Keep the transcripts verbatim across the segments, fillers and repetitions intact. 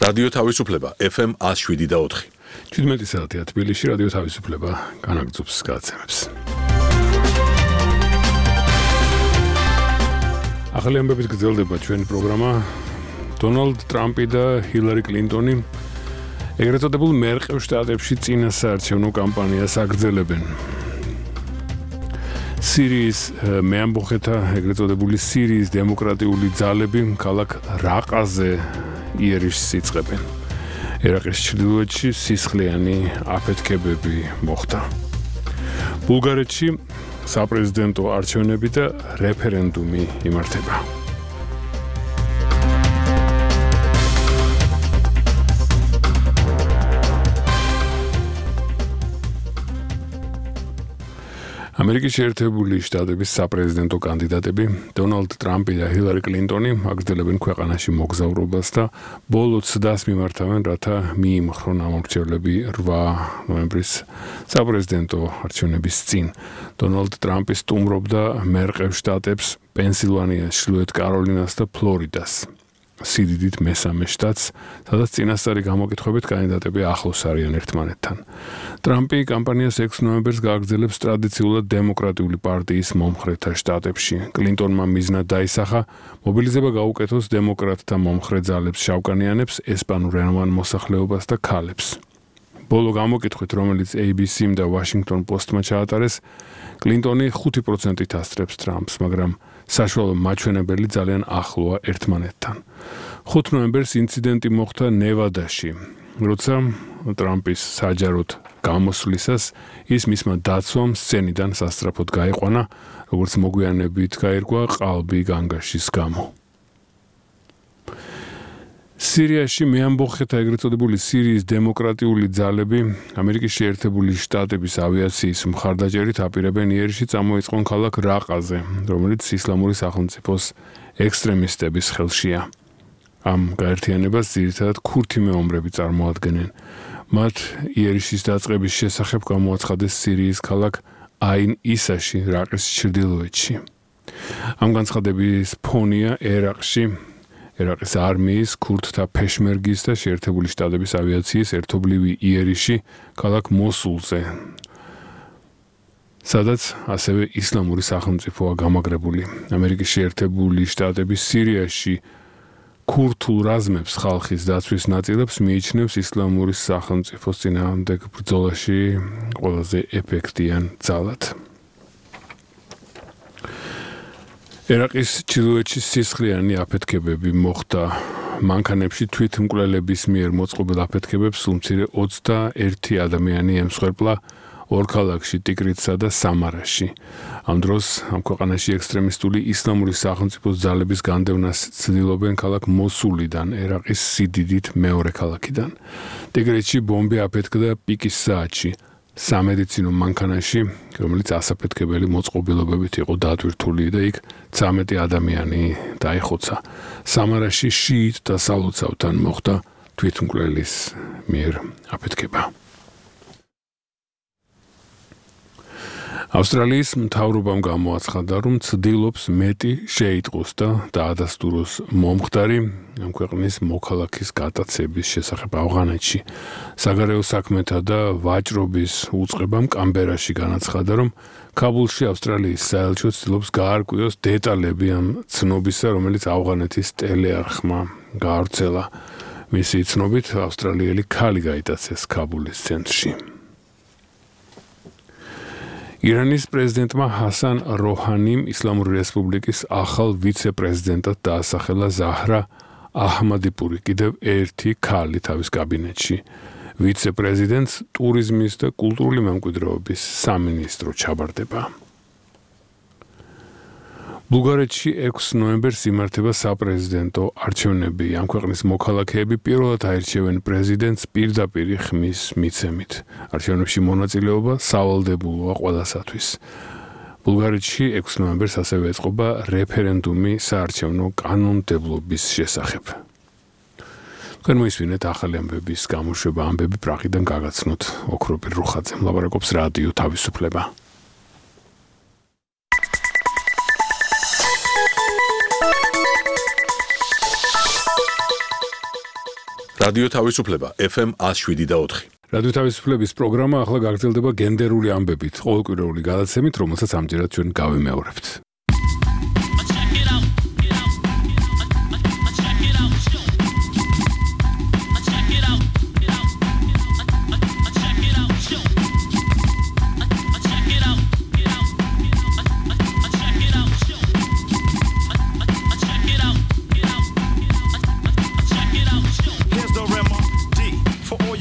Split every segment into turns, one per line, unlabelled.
რადიო თავისუფლება ეფ ემ one oh seven და four.
შვიდმეტი საათია თბილისში რადიო თავისუფლება განაგრძობს გადაცემებს. ახალი ამბებით გრძელდება ჩვენი პროგრამა. დონალდ ტრამპი და ჰილარი კლინტონი ეგრეთ წოდებულ მერყევ შტატებში წინასაარჩევნო კამპანიას აგრძელებენ. სირიის მეამბოხეთა ეგრეთ წოდებული სირიის დემოკრატიული ძალები ქალაქ რაყაზე იერიშს იწყებენ. ერაყის ჩრდილოეთში სისხლიანი აფეთქებები მოხდა. ბულგარეთში საპრეზიდენტო არჩევნები და რეფერენდუმი იმართება. ამერიკის შეერთებული შტატების საპრეზიდენტო კანდიდატები დონალდ ტრამპი და ჰილარი კლინტონი აგრძელებენ ქვეყანაში მოგზაურობას და ბოლო ცდას მიმართავენ, რათა მიიმხრონ ამორჩევლები eight ნოემბრის საპრეზიდენტო არჩევნების წინ. დონალდ ტრამპი სტუმრობდა მერყევ შტატებს პენსილვანიას, ჩრდილოეთ კაროლინას და ფლორიდას. სიდიდით მესამე შტატს, სადაც წინასწარი გამოკითხვებით კანდიდატები ახლოს არიან ერთმანეთთან. ტრამპი კამპანიას ექვსი ნოემბერს გააგრძელებს ტრადიციულად დემოკრატიული პარტიის მომხრეთა შტატებში. კლინტონმა მიზნად დაისახა მობილიზება გაუკეთოს დემოკრატთა მომხრე ძალებს, შავკანიანებს, ესპანურენოვან მოსახლეობას და ქალებს. ბოლო გამოკითხვით, რომელიც A B C-მ და Washington Post-მა ჩაატარეს, კლინტონი ხუთი პროცენტით ასწრებს ტრამპს, მაგრამ საშუალო მაჩვენებელი ძალიან ახლოა ერთმანეთთან. ხუთი ნოემბერს ინციდენტი მოხდა ნევადაში, როცა ტრამპის საჯაროდ გამოსვლისას ის მისმა დაცვამ სცენიდან სასწრაფოდ გაიყვანა, როგორც მოგვიანებით გაირკვა ყალბი განგაშის გამო. სირიაში მეამბოხეთა ეგრეთ წოდებული სირიის დემოკრატიული ძალები ამერიკის შეერთებული შტატების ავიაციის მხარდაჭერით აპირებენ იერში წამოიწყონ ქალაქ რაყაზე, რომელიც ისლამური სახელმწიფოს ექსტრემისტების ხელშია. ამ გაერთიანებას ძირითადად ქურთი მეომრები წარმოადგენენ. მათ იერიშის დაწყების შესახებ გამოაცხადეს სირიის ქალაქ აინ ისაში, რაყის ჩრდილოეთში. ამ განცხადების ფონია ერაყში ერაყის არმიის, ქურთთა ფეშმერგის და შეერთებული შტატების ავიაციის ერთობლივი იერიში ქალაქ მოსულზე, სადაც ასევე ისლამური სახელმწიფოა გამაგრებული. ამერიკის შეერთებული შტატები სირიაში ქურთულ რაზმებს ხალხის დაცვის ნაწილებს მიიჩნევს ისლამური სახელმწიფოს წინააღმდეგ ბრძოლაში ყველაზე ეფექტიან ძალად. ერაყის ჩრდილოეთში სისხლიანი აფეთქებები მოხდა. მანქანებში თვითმკვლელების მიერ მოწყობილ აფეთქებებს სულ მცირე ოცდაერთი ადამიანი ემსხვერპლა ორ ქალაქში, ტიგრიცსა და სამარაში. ამ დროს ამ ქვეყანაში ექსტრემისტული ისლამური სახელმწიფოს ძალების განდევნას ცდილობენ ქალაქ მოსულიდან, ერაყის სიდიდით მეორე ქალაქიდან. ტიგრიცში ბომბი აფეთქდა პიკის საათში. სამედიცინო მანქანაში, რომელიც ასაფეთქებელი მოწყობილობებით იყო დატვირთული და იქ ცამეტი ადამიანი დაიხოცა. სამარაში შიიტთა სალოცავთან მოხდა თვითმკვლელის მიერ აფეთქება. ავსტრალიის მთავრობამ გამოაცხადა, რომ ცდილობს მეტი შეიტყოს და დაადასტუროს მომხდარი ამ ქვეყნის მოქალაქის გატაცების შესახებ ავღანეთში. საგარეო საქმეთა და ვაჭრობის უწყებამ კამბერაში განაცხადა, რომ ქაბულში ავსტრალიის საელჩო ცდილობს გაარკვიოს დეტალები ამ ცნობისა, რომელიც ავღანეთის ტელეარხმა გაავრცელა. მისი ცნობით, ავსტრალიელი ქალი გაიტაცეს ქაბულის ცენტრში. ირანის პრეზიდენტმა ჰასან როჰანიმ ისლამური რესპუბლიკის ახალ ვიცე-პრეზიდენტად დაასახელა ზაჰრა აჰმადიპური, კიდევ ერთი ქალი თავის კაბინეტში. ვიცე-პრეზიდენტს ტურიზმის და კულტურული მემკვიდრეობის სამინისტრო ჩაბარდება. ბულგარეთში ექვსი ნოემბერს იმართება საპრეზიდენტო არჩევნები. ამ ქვეყნის მოქალაქეები პირველად აირჩევენ პრეზიდენტს პირდაპირ ხმის მიცემით. არჩევნებში მონაწილეობა სავალდებულოა ყველასათვის. ბულგარეთში ექვსი ნოემბერს ასევე ეწყობა რეფერენდუმი საარჩევნო კანონმდებლობის შესახებ. თქვენ მოისმინეთ ახალი ამბების გამოშვება, ამბები პრაღიდან გაგაცნოთ ოქროპირ რუხაძემ. ლაპარაკობს რადიო თავისუფლება.
რადიო თავისუფლება ეფ ემ one oh seven point four.
რადიო თავისუფლების პროგრამა ახლა გაგრძელდება გენდერული ამბებით, ყოველკვირეული გადაცემით, რომელსაც ამჯერად ჩვენ გავიმეორებთ.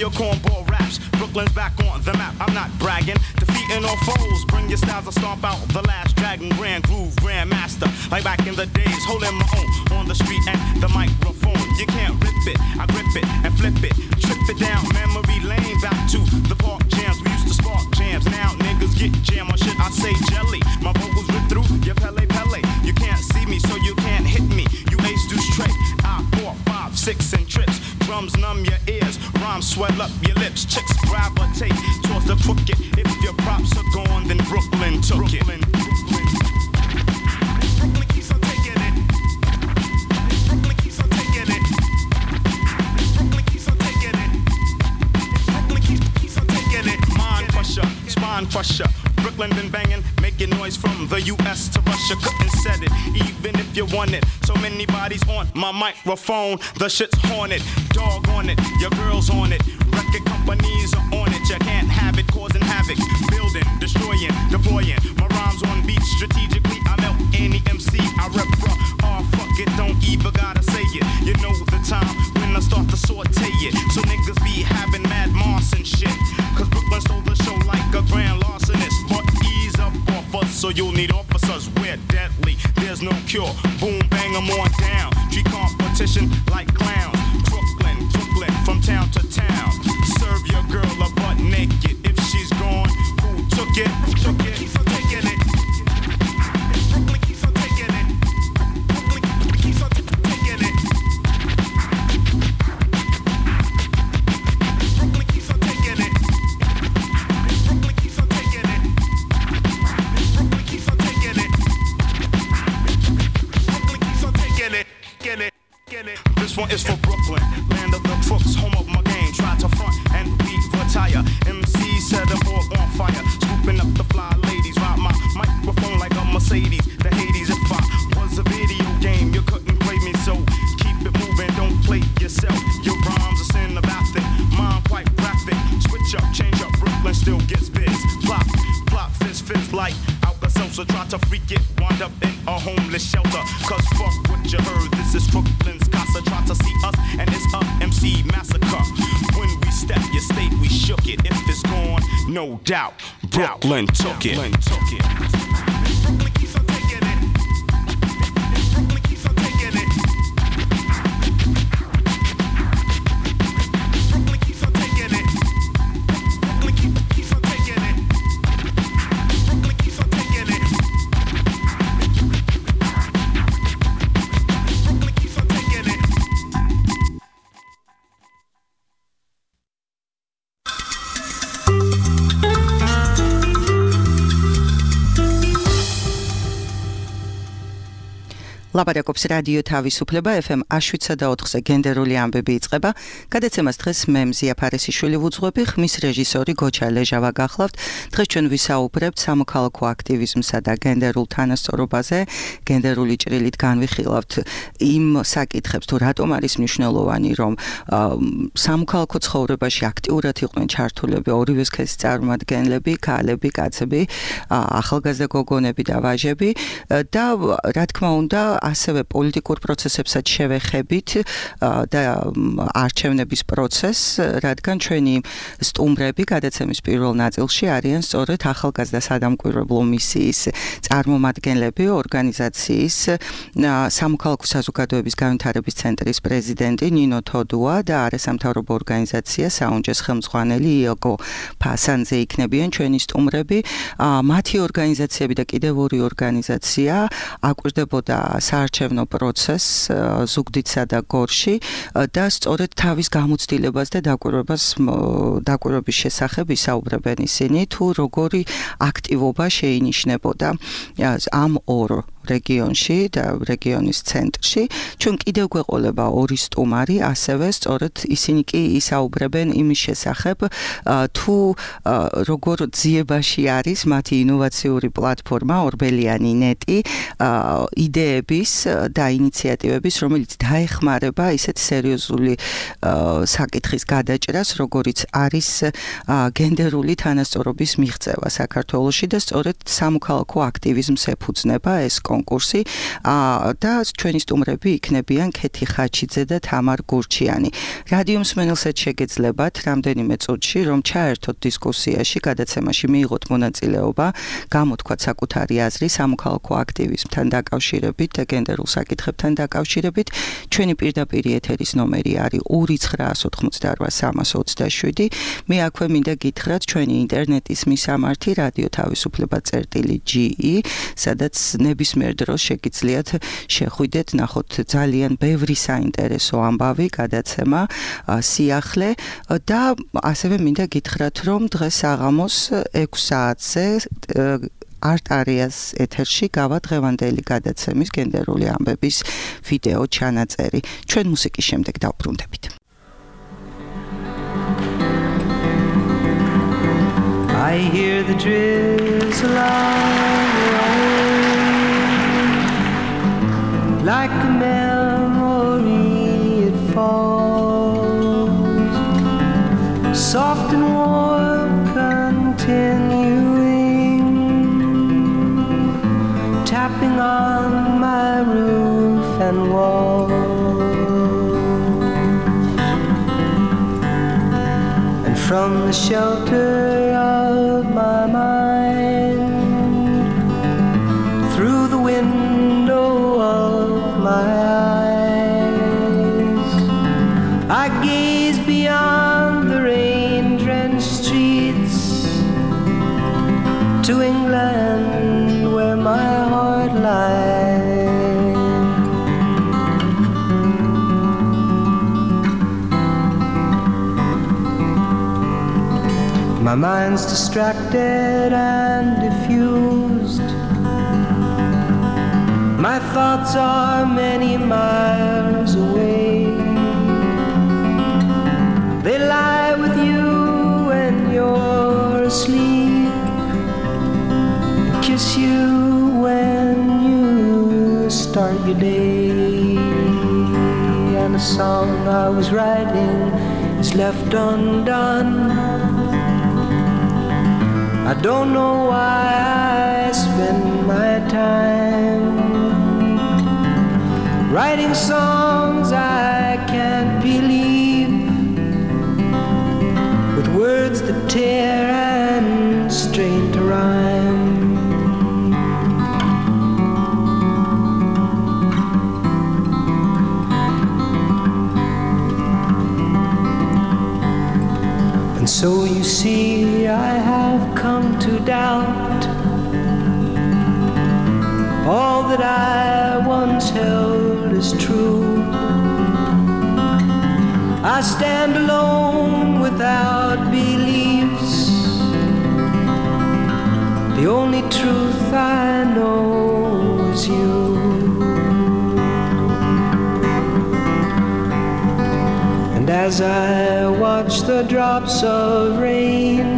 Your cornball raps, Brooklyn's back on the map. I'm not bragging, defeating all foes. Bring your styles, I stomp out the last dragon, grand groove, grand master. Like back in the days, holding my own on the street and the microphone. You can't rip it, I grip it and flip it, trip it down memory lane. Back to the park jams, we used to spark jams. Now niggas get jam on shit. I say jelly, my vocals rip through your Pele Pele. You can't see me, so you can't hit me. You ace do straight. I four, five, six and trips. Drums numb your ears, rhymes swell up your lips. Chicks gravitate towards the crooked. If your props are gone, then Brooklyn took Brooklyn, it. Brooklyn. Brooklyn keeps on taking it. Brooklyn keeps on taking it. Brooklyn keeps on taking it. Brooklyn keeps, keeps on taking it. Mind crusher, spine crusher. Brooklyn been banging, making noise from the U S to Russia. Couldn't set it, even if you want it. So many bodies on my microphone, the shit's haunted. Dog on it, your girl's on it. Record companies are on it, you can't have it, causing havoc. Building, destroying, deploying. My rhymes on beat strategically. I melt any M C, I rep bruh. Oh fuck it, don't even gotta say it. You know the time when I start to saute it. So niggas be having mad moss and shit. Cause Brooklyn stole the show like a grand larcenist. But ease up off us, so you'll need officers. We're deadly, there's no cure. Boom, bang, I'm on down. Treat competition like clowns. Brooklyn, Brooklyn, from town to town. Serve your girl a butt naked. If she's gone, who took it? Took it, keeps on taking it. Brooklyn keeps on taking it. Brooklyn keeps on taking it. Brooklyn keeps on taking it. Brooklyn keeps on taking it. Brooklyn keeps on taking it. Brooklyn keeps on taking it. Get it, get it. This one is for Brooklyn, land of the crooks, home of my game. Try to front and we retire. M C set the board on fire, scooping up the fly ladies. Ride my microphone like a Mercedes. The Hades, if I was a video game, you couldn't play me. So keep it moving, don't play yourself. Your rhymes are cinematic, mine quite graphic. Switch up, change up, Brooklyn still gets biz. Plop, plop, fizz, fizz like Alka-Seltzer. Try to freak it, wind up in a homeless shelter. Cause fuck what you heard, this is Brooklyn's casa. Try to see us and it's a M C massacre. When we step your state, we shook it. If it's gone, no doubt, Brooklyn took it. Brooklyn took it. Brooklyn keeps on taking it. Brooklyn keeps on taking it. Brooklyn keeps on taking it. Brooklyn keeps on taking it. Brooklyn keeps on taking it. Brooklyn keeps on taking it.
ლაპარაკობს რადიო თავისუფლება ეფ ემ one oh seven point four-ზე გენდერული ამბები იწყება. გადაცემას დღეს მე მზია ფარესიშვილი ვუძღვები, ხმის რეჟისორი გოჩა ლეჟავა გახლავთ. დღეს ჩვენ ვისაუბრებთ სამოქალაქო აქტივიზმსა და გენდერულ თანასწორობაზე. გენდერული ჭრილით განვიხილავთ იმ საკითხებს, თუ რატომ არის მნიშვნელოვანი, რომ სამოქალაქო ცხოვრებაში აქტიურად იყვნენ ჩართულები ორივე სქესის წარმომადგენლები, ქალები, კაცები, ახალგაზრდა გოგონები და ვაჟები და რა თქმა უნდა ასევე პოლიტიკურ პროცესებსაც შევეხებით და არჩევნების პროცესს, რადგან ჩვენი სტუმრები გადაცემის პირველ ნაწილში არიან სწორედ ახალგაზრდა სადამკვირვებლო მისიის წარმომადგენლები, ორგანიზაციის სამოქალაქო საზოგადოების განვითარების ცენტრის პრეზიდენტი ნინო თოდუა და არასამთავრობო ორგანიზაცია საუნჯეს ხელმძღვანელი იოგო ფასანძე იქნებიან ჩვენი სტუმრები. მათი ორგანიზაციები და კიდევ ორი ორგანიზაცია აკვირდებოდა საარჩევნო პროცესს ზუგდიდსა და გორში და სწორედ თავის გამოცდილებას და დაკვირვებას დაკვირვების შესახებ ისაუბრებენ ისინი, თუ როგორი აქტივობა შეინიშნებოდა ამ ორ რეგიონში და რეგიონის ცენტრში. ჩვენ კიდევ გვეყოლება ორი სტუმარი, ასევე სწორედ ისინი კი ისაუბრებენ იმის შესახებ, თუ როგორ ძიებაში არის მათი ინოვაციური პლატფორმა ორბელიანი ნეტი, იდეების და ინიციატივების, რომელიც დაეხმარება ისეთ სერიოზული საკითხის გადაჭრას, როგორიც არის გენდერული თანასწორობის მიღწევა საქართველოში და სწორედ სამოქალაქო აქტივიზმს ეფუძნება ეს კონკურსი და ჩვენი სტუმრები იქნებიან ქეთი ხაჩიძე და თამარ გურჩიანი. რადიო მსმენელსაც შეგეძლებათ რამდენიმე წუთში რომ ჩაერთოთ დისკუსიაში, გადაცემაში მიიღოთ მონაწილეობა, გამოთქვათ საკუთარი აზრი სამოქალაქო აქტივიზმთან დაკავშირებით და გენდერულ საკითხებთან დაკავშირებით. ჩვენი პირდაპირი ეთერის ნომერი არის ორი ცხრაას ოთხმოცდაოთხ სამას ოცდაშვიდი. მე აქვე მინდა გითხრათ ჩვენი ინტერნეტის მისამართი რადიო თავისუფლება წერტილი ჯი ი, სადაც ნებისმიერ დროს შეგიძლიათ შეხვიდეთ, ნახოთ ძალიან ბევრი საინტერესო ამბავი, გადაცემა, სიახლე და ასევე მინდა გითხრათ, რომ დღეს საღამოს ექვს საათზე არტარიას ეთერში გავა დღევანდელი გადაცემის გენდერული ამბების ვიდეო ჩანაწერი. ჩვენ მუსიკის შემდეგ დავბრუნდებით.
I hear the drizzle of rain, like a memory it falls, soft and warm, continuing, tapping on my roof and walls, and from the shelter of my mind, through the window of my eyes, I gaze beyond the rain-drenched streets to England where my heart lies. My mind's distracted and diffused. My thoughts are many miles away. They lie with you when you're asleep, kiss you when you start your day. And a song I was writing is left undone. I don't know why I spend my time writing songs I can't believe, with words that tear and strain to rhyme. And so you see, I have come to doubt all that I once held as true. I stand alone without beliefs. The only truth I know is you. And as I watch the drops of rain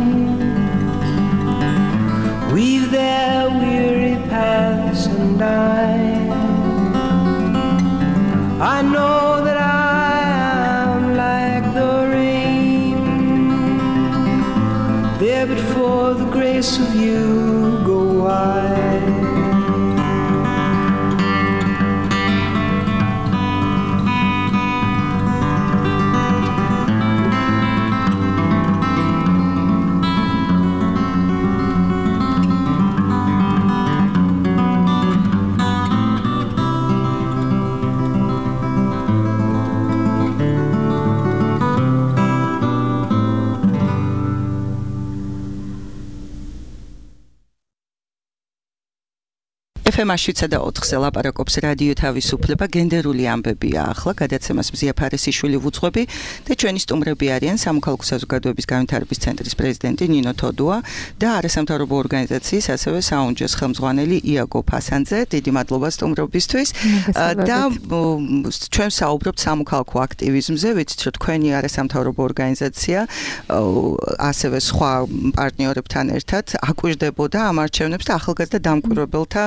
weave their weary paths and I I know that I am like the rain, there but for the grace of you go I.
ეფ ემ შვიდსა და ოთხზე ლაპარაკობს რადიო თავისუფლება, გენდერული ამბებია ახლა, გადაცემას მზია ფარესიშვილი ვუძღვები და ჩვენი სტუმრები არიან სამოქალაქო საზოგადოების განვითარების ცენტრის პრეზიდენტი ნინო თოდუა და არასამთავრობო ორგანიზაციის ასევე საუნჯოს ხელმძღვანელი იაგო ფასანძე. დიდი მადლობა სტუმრობისთვის და ჩვენ საუბრობთ სამოქალაქო აქტივიზმზე, ვიცით რომ თქვენი არასამთავრობო ორგანიზაცია ასევე სხვა პარტნიორებთან ერთად აკვირდებოდა ამ არჩევნებს და ახალგაზრდა დამკვირვებელთა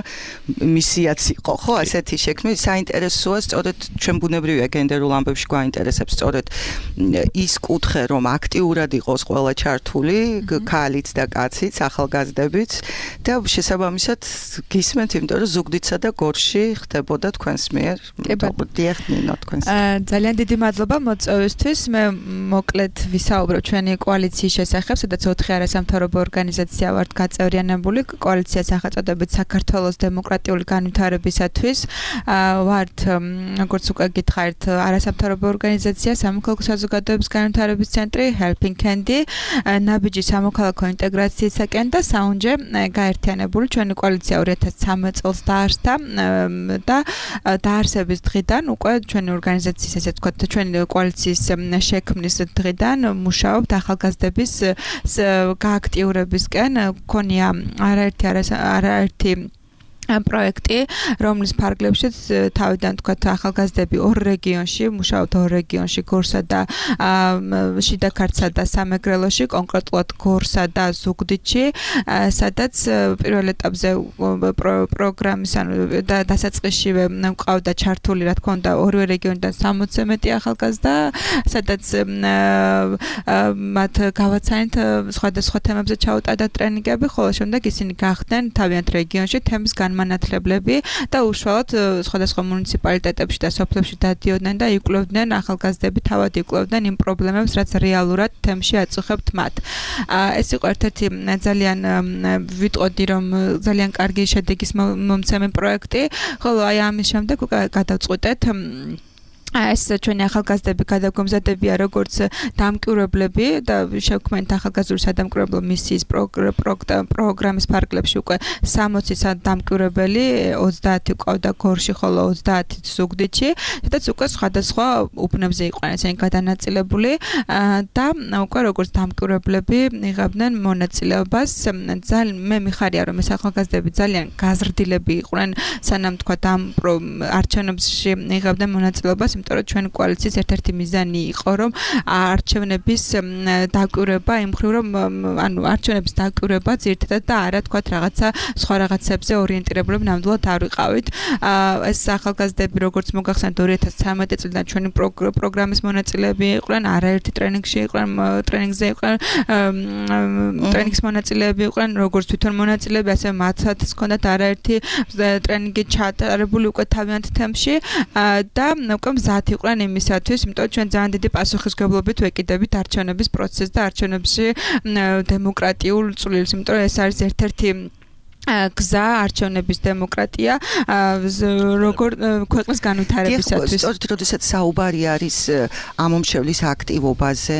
მისიაც იყო, ხო, ასეთი შექმნა. საინტერესოა, სწორედ ჩვენ ბუნებრივია გენდერულ ამბებში გვაინტერესებს სწორედ ის კუთხე, რომ აქტიურად იყოს ყველა ჩართული, ქალიც და კაციც, ახალგაზრდებიც და შესაბამისად გისმენთ, იმიტომ რომ ზუგდიდსა და გორში ხდებოდა თქვენს მიერ. დიახ, ნინო, თქვენს.
ძალიან დიდი მადლობა მოწვევისთვის. მე მოკლედ ვისაუბრებ ჩვენი კოალიციის შესახებ, სადაც ოთხი არასამთავრობო ორგანიზაცია ვართ გაწევრიანებული. კოალიცია სახელწოდებით საქართველოს დემოკრატიული განვითარებისათვის. ვართ, როგორც უკვე გითხარით, არასამთავრობო ორგანიზაცია სამოქალაქო საზოგადოების განვითარების ცენტრი Helping Hand, ნაბიჯი სამოქალაქო ინტეგრაციისაკენ და საუნჯე გაერთიანებული. ჩვენი კოალიცია ორი ათას ცხრამეტ წელს დაარსდა და დაარსების დღიდან უკვე ჩვენი ორგანიზაციის, ესე ვთქვათ, ჩვენი კოალიციის შექმნის დღიდან მუშაობთ ახალგაზრდების გააქტიურებისკენ. გქონია არაერთი არაერთი პროექტი, რომლის ფარგლებშიც თავიდან თქვათ ახალგაზრდები ორ რეგიონში, მუშაობთ ორ რეგიონში, გორსა და შიდა ქართლსა და სამეგრელოში, კონკრეტულად გორსა და ზუგდიდში, სადაც პირველ ეტაპზე პროგრამის ანუ და დასაწყისშივე მყავდა ჩართული, რა თქმა უნდა, ორივე რეგიონიდან სამოცზე მეტი ახალგაზრდა, სადაც მათ გავაცანით სხვადასხვა თემებზე ჩაუტარდა ტრენინგები, ხოლო შემდეგ ისინი გახდნენ თავიანთ რეგიონში თემის განმანათლებლები და უშუალოდ სხვადასხვა მუნიციპალიტეტებში და სოფლებში დადიოდნენ და იკვლევდნენ ახალგაზრდები, თავად იკვლევდნენ იმ პრობლემებს, რაც რეალურად თემში აწუხებთ მათ. ეს იყო ერთ-ერთი ძალიან ვიტყოდი, რომ ძალიან კარგი შედეგის მომცემი პროექტი, ხოლო აი ამის შემდეგ გადავწყვიტეთ ეს ჩვენი ახალგაზრდები გადაგომზადებია როგორც დამკვირვებლები და შევქმნით ახალგაზრდული სადამკვირვებლო მისიის პროგრამის ფარგლებში უკვე სამოცი დამკვირვებელი, ოცდაათი ყავდა გორში, ხოლო ოცდაათი ზუგდიდში, სადაც უკვე სხვადასხვა უბნებზე იყვნენ ესენი გადანაწილებული და უკვე როგორც დამკვირვებლები იღებდნენ მონაწილეობას. ძალიან მე მიხარია, რომ ეს ახალგაზრდები ძალიან გაზრდილები იყვნენ, სანამ თქვა ამ არჩევნებში იღებდნენ მონაწილეობას. იმიტომ რომ ჩვენი კოალიციის ერთ-ერთი მიზანი იყო, რომ არჩევნების დაკვირვება იმ მხრივ, რომ ანუ არჩევნების დაკვირვება ძირითადად და არა თქვათ რაღაცა სხვა რაღაცებზე ორიენტირებული ნამდვილად არ ვიყავით. ეს ახალგაზრდები როგორც მოგახსენეთ ორი ათას ცხრამეტი წლიდან ჩვენი პროგრამის მონაწილეები იყვნენ, არაერთი ტრენინგში იყვნენ, ტრენინგზე იყვნენ, ტრენინგის მონაწილეები იყვნენ, როგორც თვითონ მონაწილეები, ასევე მათაც ჰქონდათ არაერთი ტრენინგი ჩატარებული უკვე თავიანთ თემში და უკვე მზად იყვნენ იმისათვის, იმიტომ ჩვენ ძალიან დიდი პასუხისმგებლობით ვეკიდებით არჩევნების პროცესს და არჩევნებში დემოკრატიულ წვლილს, იმიტომ რომ ეს არის ერთ-ერთი გზა არჩევნების დემოკრატია როგორ ქვეყნის განვითარებისათვის.
სწორედ როდესაც საუბარი არის ამომრჩევლის აქტივობაზე,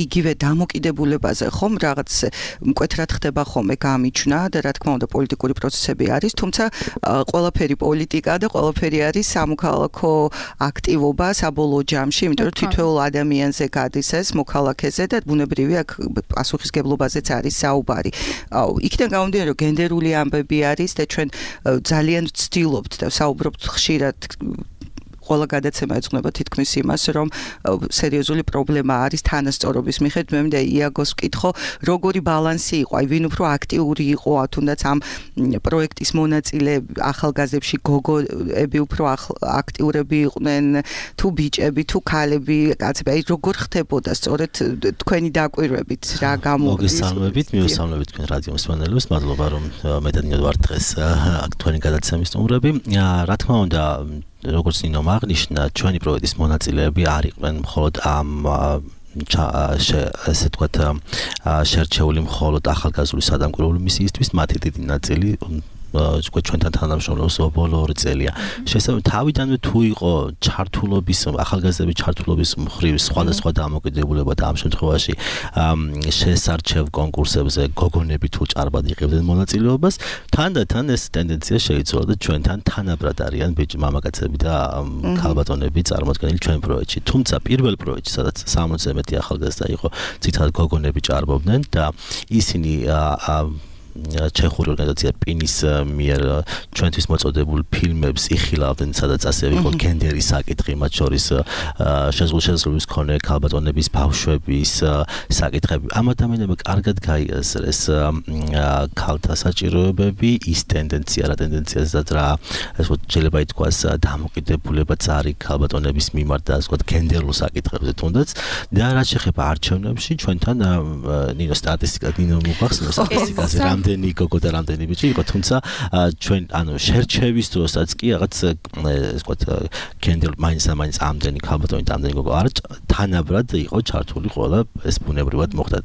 იგივე დამოკიდებულებაზე, ხომ რაღაც მკვეთრად ხდება ხოლმე გამიჩვნა და რა თქმა უნდა პოლიტიკური პროცესები არის, თუმცა ყველაფერი პოლიტიკა და ყველაფერი არის სამოქალაქო აქტივობა საბოლოო ჯამში, იმიტომ რომ თითოეულ ადამიანზე გადის ეს მოქალაქეზე და ბუნებრივია პასუხისმგებლობაზეც არის საუბარი. იქიდან გამომდინარე, რომ გენდერული ამბები არის და ჩვენ ძალიან ვცდილობთ და საუბრობთ ხშირად ყველა გადაცემა ეძღვნება თითქმის იმას, რომ სერიოზული პრობლემა არის თანასწორობის მიხედვით. მე მინდა იაგოს ვკითხო, როგორი ბალანსი იყო, აი ვინ უფრო აქტიური იყო, თუნდაც ამ პროექტის მონაწილე ახალგაზრდებში გოგოები უფრო აქტიურები იყვნენ, თუ ბიჭები, თუ ქალები, კაცები, აი როგორ ხდებოდა სწორედ თქვენი დაკვირვებით, რა გამოდის?
მოგესალმებით, მივესალმებით თქვენ რადიო მსმენელებს, მადლობა რომ მე და ნინო ვართ დღეს თქვენი გადაცემის სტუმრები. რა თქმა უნდა, როგორც ნინომ აღნიშნა, ჩვენი პროექტის მონაწილეები არ იყვნენ მხოლოდ ამ ესე ვთქვათ შერჩეული მხოლოდ ახალგაზრდული სადამკვირვებლო მისიისთვის, მათი დიდი ნაწილი უკვე ჩვენთან თანამშრომლობს ბოლო ორი წელია. შესაძლოა თავიდანვე თუ იყო ჩართულობის ახალგაზრდების ჩართულობის მხრივ სხვადასხვა დამოკიდებულება და ამ შემთხვევაში შესარჩევ კონკურსებზე გოგონები თუ ჭარბად იღებდნენ მონაწილეობას, თანდათან ეს ტენდენცია შეიცვალა და ჩვენთან თანაბრად არიან ბიჭი მამაკაცები და ქალბატონები წარმოადგენილი ჩვენ პროექტში. თუმცა პირველ პროექტში, სადაც სამოცზე მეტი ახალგაზრდა იყო, ძირითადად გოგონები ჭარბობდნენ და ისინი ჩეხური ორგანიზაცია პინის მიერ ჩვენთვის მოწოდებულ ფილმებს იხილავდნენ, სადაც ასევე იყო გენდერის საკითხი, მათ შორის შეზღუდვის მქონე ქალბატონების ბავშვების საკითხები. ამ ადამიანებმა კარგად გაიაზრეს ქალთა საჭიროებები, ის ტენდენცია, რა ტენდენციაზეც რა, ასე ვთქვათ, შეიძლება ითქვას დამოკიდებულებაც არის ქალბატონების მიმართ და ასე ვთქვათ, გენდერულ საკითხებზე თუნდაც. და რაც შეეხება არჩევნებში, ჩვენთან ნინო სტატისტიკა, ნინო მოგახსენებს სტატისტიკაზე რამდენი გოგო და რამდენი ბიჭი იყო, თუმცა ჩვენ ანუ შერჩევის დროსაც კი რაღაც ეს ვთქვათ გენდერ მაინც და მაინც ამდენი ქალბატონი და ამდენი გოგო არ თანაბრად იყო ჩართული ყველა, ეს ბუნებრივად მოხდა.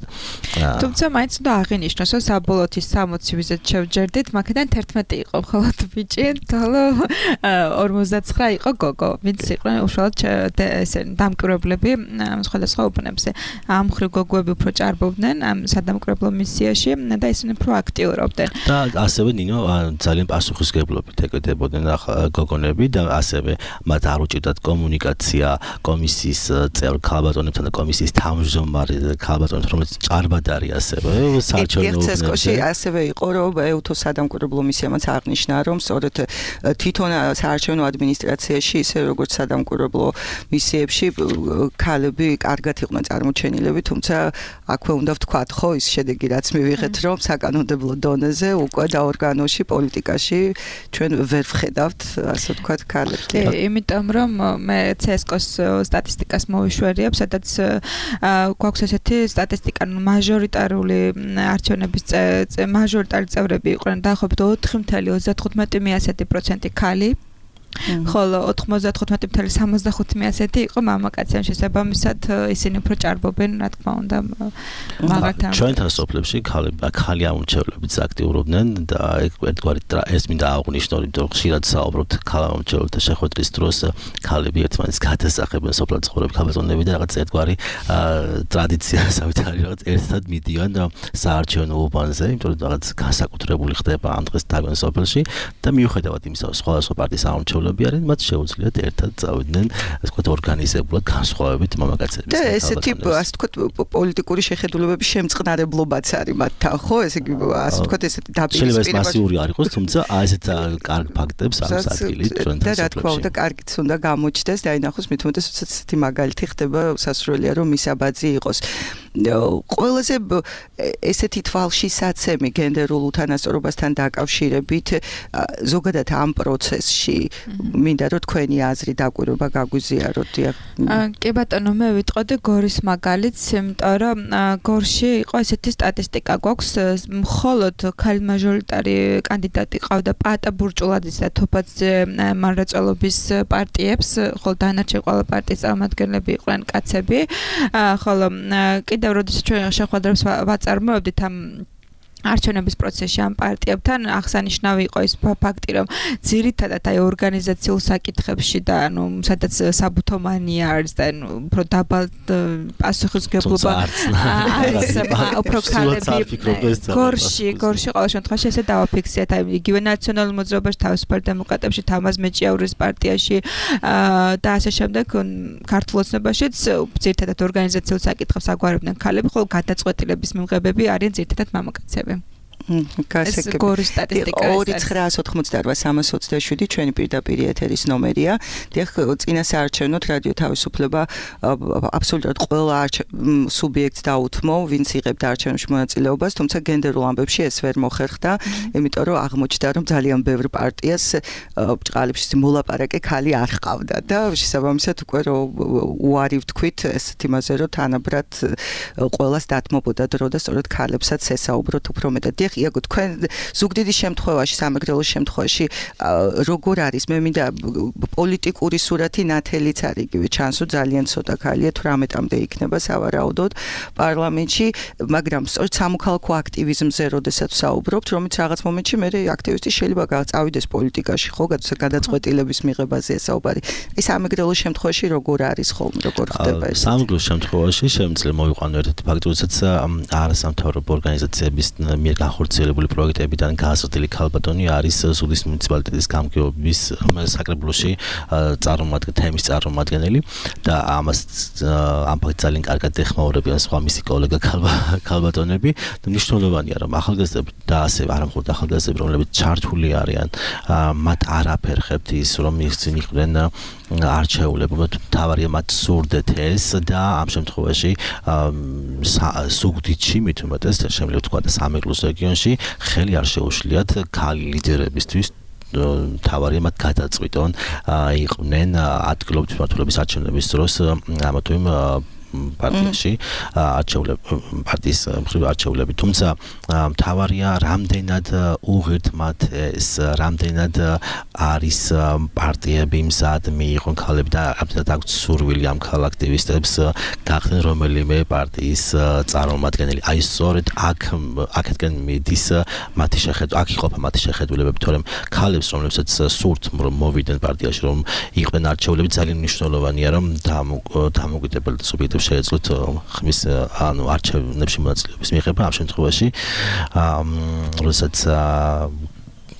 თუმცა მაინც უნდა აღინიშნოს, რომ საბოლოოდ ის სამოცი ვიზეთ შევჯერდით, მაგიდან თერთმეტი იყო მხოლოდ ბიჭი, თოლო ორმოცდაცხრა იყო გოგო, ვინც იყვნენ უშუალოდ ესე დამკვირვებლები სხვადასხვა უბნებზე. ამ მხრივ გოგოები უფრო ჭარბობდნენ ამ სადამკვირვებლო მისიაში და ისინი უფრო აქტიურობდნენ.
და ასევე ნინო ძალიან პასუხისმგებლობით ეკეთებოდნენ გოგონები და ასევე მათ არ უჭირდათ კომუნიკაცია კომისიის წევრ ქალბატონებთან და კომისიის თავმჯდომარე ქალბატონებს, რომელიც ჭარბად არის ასევე საარჩევნო
უბნებში. ასევე იყო, რომ ეუთოს სადამკვირვებლო მისიამაც აღნიშნა, რომ სწორედ თვითონ საარჩევნო ადმინისტრაციაში, ისე როგორც სადამკვირვებლო მისიებში ქალები კარგად იყვნენ წარმოჩენილები, თუმცა აქვე უნდა ვთქვათ, ხო, ის შედეგი რაც მივიღეთ, რომ საკანონმდებლო დონეზე უკვე და ორგანოში, პოლიტიკაში ჩვენ ვერ ვხედავთ, ასე ვთქვათ, ქალებს.
კი, იმიტომ რომ მე ცესკოს სტატისტიკას მოვიშვერიებ, სადაც გვაქვს ესეთი სტატისტიკა, მაჟორიტარული არჩევნების მაჟორიტარი წევრები იყვნენ დაახლოებით ოთხი ოცდათხუთი პროცენტი ქალი. ხოლო ოთხმოცდათხუთი სამოცდახუთი იყო მამაკაცი, შესაბამისად ისინი უფრო ჭარბობენ, რა თქმა უნდა, მაგალითად.
ჩვენთან სოფლებში ქალი ამომრჩევლებიც აქტიურობდნენ და ერთგვარი ეს მინდა აღვნიშნო, რომ ხშირად საუბრობთ ქალამომრჩეველთა შეხვედრის დროს, ქალები ერთმანეთს გადასახებენ სოფლად ცხოვრები ქალბატონები და რაღაც ერთგვარი ტრადიციასავით არის, რაღაც ერთად მიდიან საარჩევნო უბანზე, იმიტომ რომ რაღაც განსაკუთრებული ხდება ამ დღეს თავენ სოფელში და მიუხედავად იმისა, რომ სხვადასხვა პარტიის ამომრჩევლები არიან, მათ შეუძლიათ ერთად წავიდნენ, ასე ვთქვათ, ორგანიზებულად განსხვავებით მამაკაცების.
და ესეთი, ასე ვთქვათ, პოლიტიკური შეხედულებების შემწყნარებლობაც არის მათთან, ხო? ესე იგი, ასე ვთქვათ, ესეთი დაპირისპირება.
შეიძლება მასიური არ იყოს, თუმცა აი ესეთ კარგ ფაქტებს აქვს ადგილი ჩვენთან სოფლებში.
და რა თქმა უნდა, კარგიც უნდა გამოჩნდეს და აინახოს, მით უმეტეს ესეთი მაგალითი ხდება სასურველია, რომ მისაბაძი იყოს. ყველაზე ესეთი თვალშისაცემი გენდერულ უთანასწორობასთან დაკავშირებით ზოგადად ამ პროცესში მინდა რომ თქვენი აზრი დაკვირვება გაგვიზიაროთ.
კი ბატონო, მე ვიტყოდი გორის მაგალითს, იმიტომ რომ გორში იყო ესეთი სტატისტიკა გვაქვს, მხოლოდ ქალი მაჟორიტარი კანდიდატი ყავდა პატა ბურჭულაძის და თოფაძე მარწელობის პარტიებს, ხოლო დანარჩენ ყველა პარტიის წარმომადგენლები იყვნენ კაცები, ხოლო კიდევ როდესაც ჩვენ შეხვედრებს ვაწარმოებდით ამ არჩევნების პროცესში ამ პარტიებთან, აღსანიშნავი იყო ის ფაქტი, რომ ძირითადად აი ორგანიზაციულ საკითხებში და ანუ სადაც საბუთო მანია არის და ანუ უფრო დაბალ პასუხისმგებლობა არის, უფრო ქალები გორში, გორში ყოველ შემთხვევაში ესე დავაფიქსირეთ, აი იგივე ნაციონალურ მოძრაობაში, თავისუფალ დემოკრატებში, თამაზ მეჭიაურის პარტიაში და ასე შემდეგ ქართულ ოცნებაშიც ძირითადად ორგანიზაციულ საკითხებს აგვარებდნენ ქალები, ხოლო გადაწყვეტილების მიმღებები არიან ძირითადად მამაკაცები. ეს გორის სტატისტიკა
ორი ცხრაას ოთხმოცდაოთხ სამას ოცდაშვიდი ჩვენი პირდაპირ ეთერის ნომერია. დიახ, წინა საარჩევნოდ რადიო თავისუფლება აბსოლუტურად ყველა სუბიექტს დაუთმო, ვინც იღებდა არჩევნებში მონაწილეობას, თუმცა გენდერულ ამბებში ეს ვერ მოხერხდა, იმიტომ რომ აღმოჩნდა, რომ ძალიან ბევრ პარტიას ბრწყალებში მოლაპარაკე ქალი არ ჰყავდა და შესაბამისად უკვე რომ უარი ვთქვით ესეთ იმაზე, რომ თანაბრად ყველას დათმობოდა დრო და სწორედ ქალებსაც ესაუბროთ უფრო მეტად. დიახ, იაგო, თქვენ ზუგდიდის შემთხვევაში, სამეგრელოს შემთხვევაში როგორ არის? მე მინდა პოლიტიკური სურათი ნათელიც არის, იგივე ჩანსო ძალიან ცოტა ქალია, თვრამეტამდე იქნება სავარაუდოდ პარლამენტში, მაგრამ სწორედ სამოქალაქო აქტივიზმზე როდესაც საუბრობთ, რომელიც რაღაც მომენტში მე აქტივისტი შეიძლება წავიდეს პოლიტიკაში, ხო, გადაწყვეტილების მიღებაზე საუბარი. ეს სამეგრელოს შემთხვევაში როგორ არის ხოლმე, როგორ ხდება ეს?
სამეგრელოს შემთხვევაში შემიძლია მოვიყვანო ერთ ფაქტი, როდესაც არასამთავრობო ორგანიზაციების მიერ განხორციელებული პროექტებიდან გაზრდილი ქალბატონი არის ზუგდიდის მუნიციპალიტეტის გამგეობის საკრებულოში წარმომადგენელი, თემის წარმომადგენელი და ამას ამ ფაქტს ძალიან კარგად ეხმაურებიან სხვა მისი კოლეგა ქალბატონები და მნიშვნელოვანია რომ ახალგაზრდები და ასევე არა მხოლოდ ახალგაზრდები რომლებიც ჩართული არიან მათ არაფერ ხებთ ის რომ ისინი იყვნენ არჩეულებრივად თავარია მათ სურდეთ ეს და ამ შემთხვევაში ზუგდიდში მით უმეტეს შემიძლია ვთქვა და სამეგრელოს რეგიონში ხელი არ შეუშლიათ ქალი ლიდერებისთვის თავარია მათ გადაწყვიტონ იყვნენ ადგილობრივი მმართველობის არჩევნების დროს ამა თუ იმ პარტიაში არჩეულები პარტიის მხრივ არჩეულები თუმცა მთავარია რამდენად უღირთ მათ ეს რამდენად არის პარტიები მზად მიიღონ ქალები და რამდენად აქვთ სურვილი ამ ქალ აქტივისტებს გახდნენ რომელიმე პარტიის წარმომადგენელი აი სწორედ აქ აქეთკენ მიდის მათი შეხედვა აქ იყოფა მათი შეხედულებები თორემ ქალებს რომლებსაც სურთ რომ მოვიდნენ პარტიაში რომ იყვნენ არჩეულები ძალიან მნიშვნელოვანია რომ დამოუკიდებელ სუბიექტებს შეეძლოთ ხმის ანუ არჩევნებში მონაწილეობის მიღება ამ შემთხვევაში როდესაც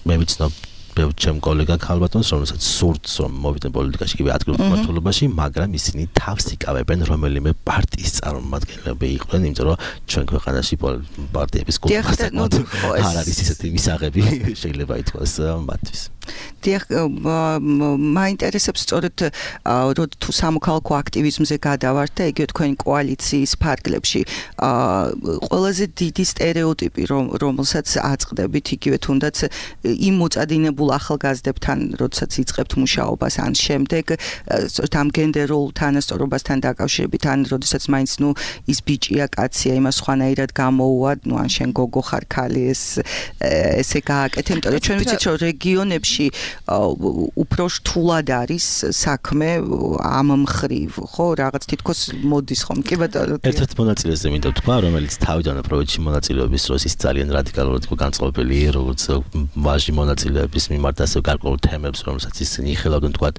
მე ვიცნობ ბევრ ჩემ კოლეგა ქალბატონს რომელსაც სურთს რომ მოვიდნენ პოლიტიკაში კიდევ ადგილობრივ მმართველობაში მაგრამ ისინი თავს იკავებენ რომელიმე პარტიის წარმომადგენლები იყვნენ იმიტომ რომ ჩვენ ქვეყანაში პარტიების კულტურა არ არის ისეთი მისაღები შეიძლება ითქვას მათთვის
დიახ მაინტერესებს სწორედ რომ თუ სამოქალაქო აქტივიზმზე გადავართ და იგივე თქვენი კოალიციის ფარგლებში ყველაზე დიდი სტერეოტიპი რომელსაც აწყდებით იგივე თუნდაც იმ მოწადინებულ ახალგაზრდებთან როდესაც იწყებთ მუშაობას ან შემდეგ სწორედ ამ გენდერულ თანასწორობასთან დაკავშირებით ან როდესაც მაინც ნუ ის ბიჭია კაცია იმას სხვანაირად გამოუვა ნუ ან შენ გოგო ხარ ქალი ეს ესე გააკეთე იმიტომ რომ ჩვენ ვიცით რომ რეგიონებში უფრო რთულად არის საქმე ამ მხრივ, ხო, რაღაც თითქოს მოდის ხომ, კი ბატონო.
ერთ-ერთ მონაწილეზე მინდა ვთქვა, რომელიც თავიდან პროექტში მონაწილეობის დროს ის ძალიან რადიკალურად იყო განწყობილი, როგორც ვაჟი მონაწილეების მიმართ ასე გარკვეულ თემებს, რომელსაც ისინი იხილავდნენ, თქვა,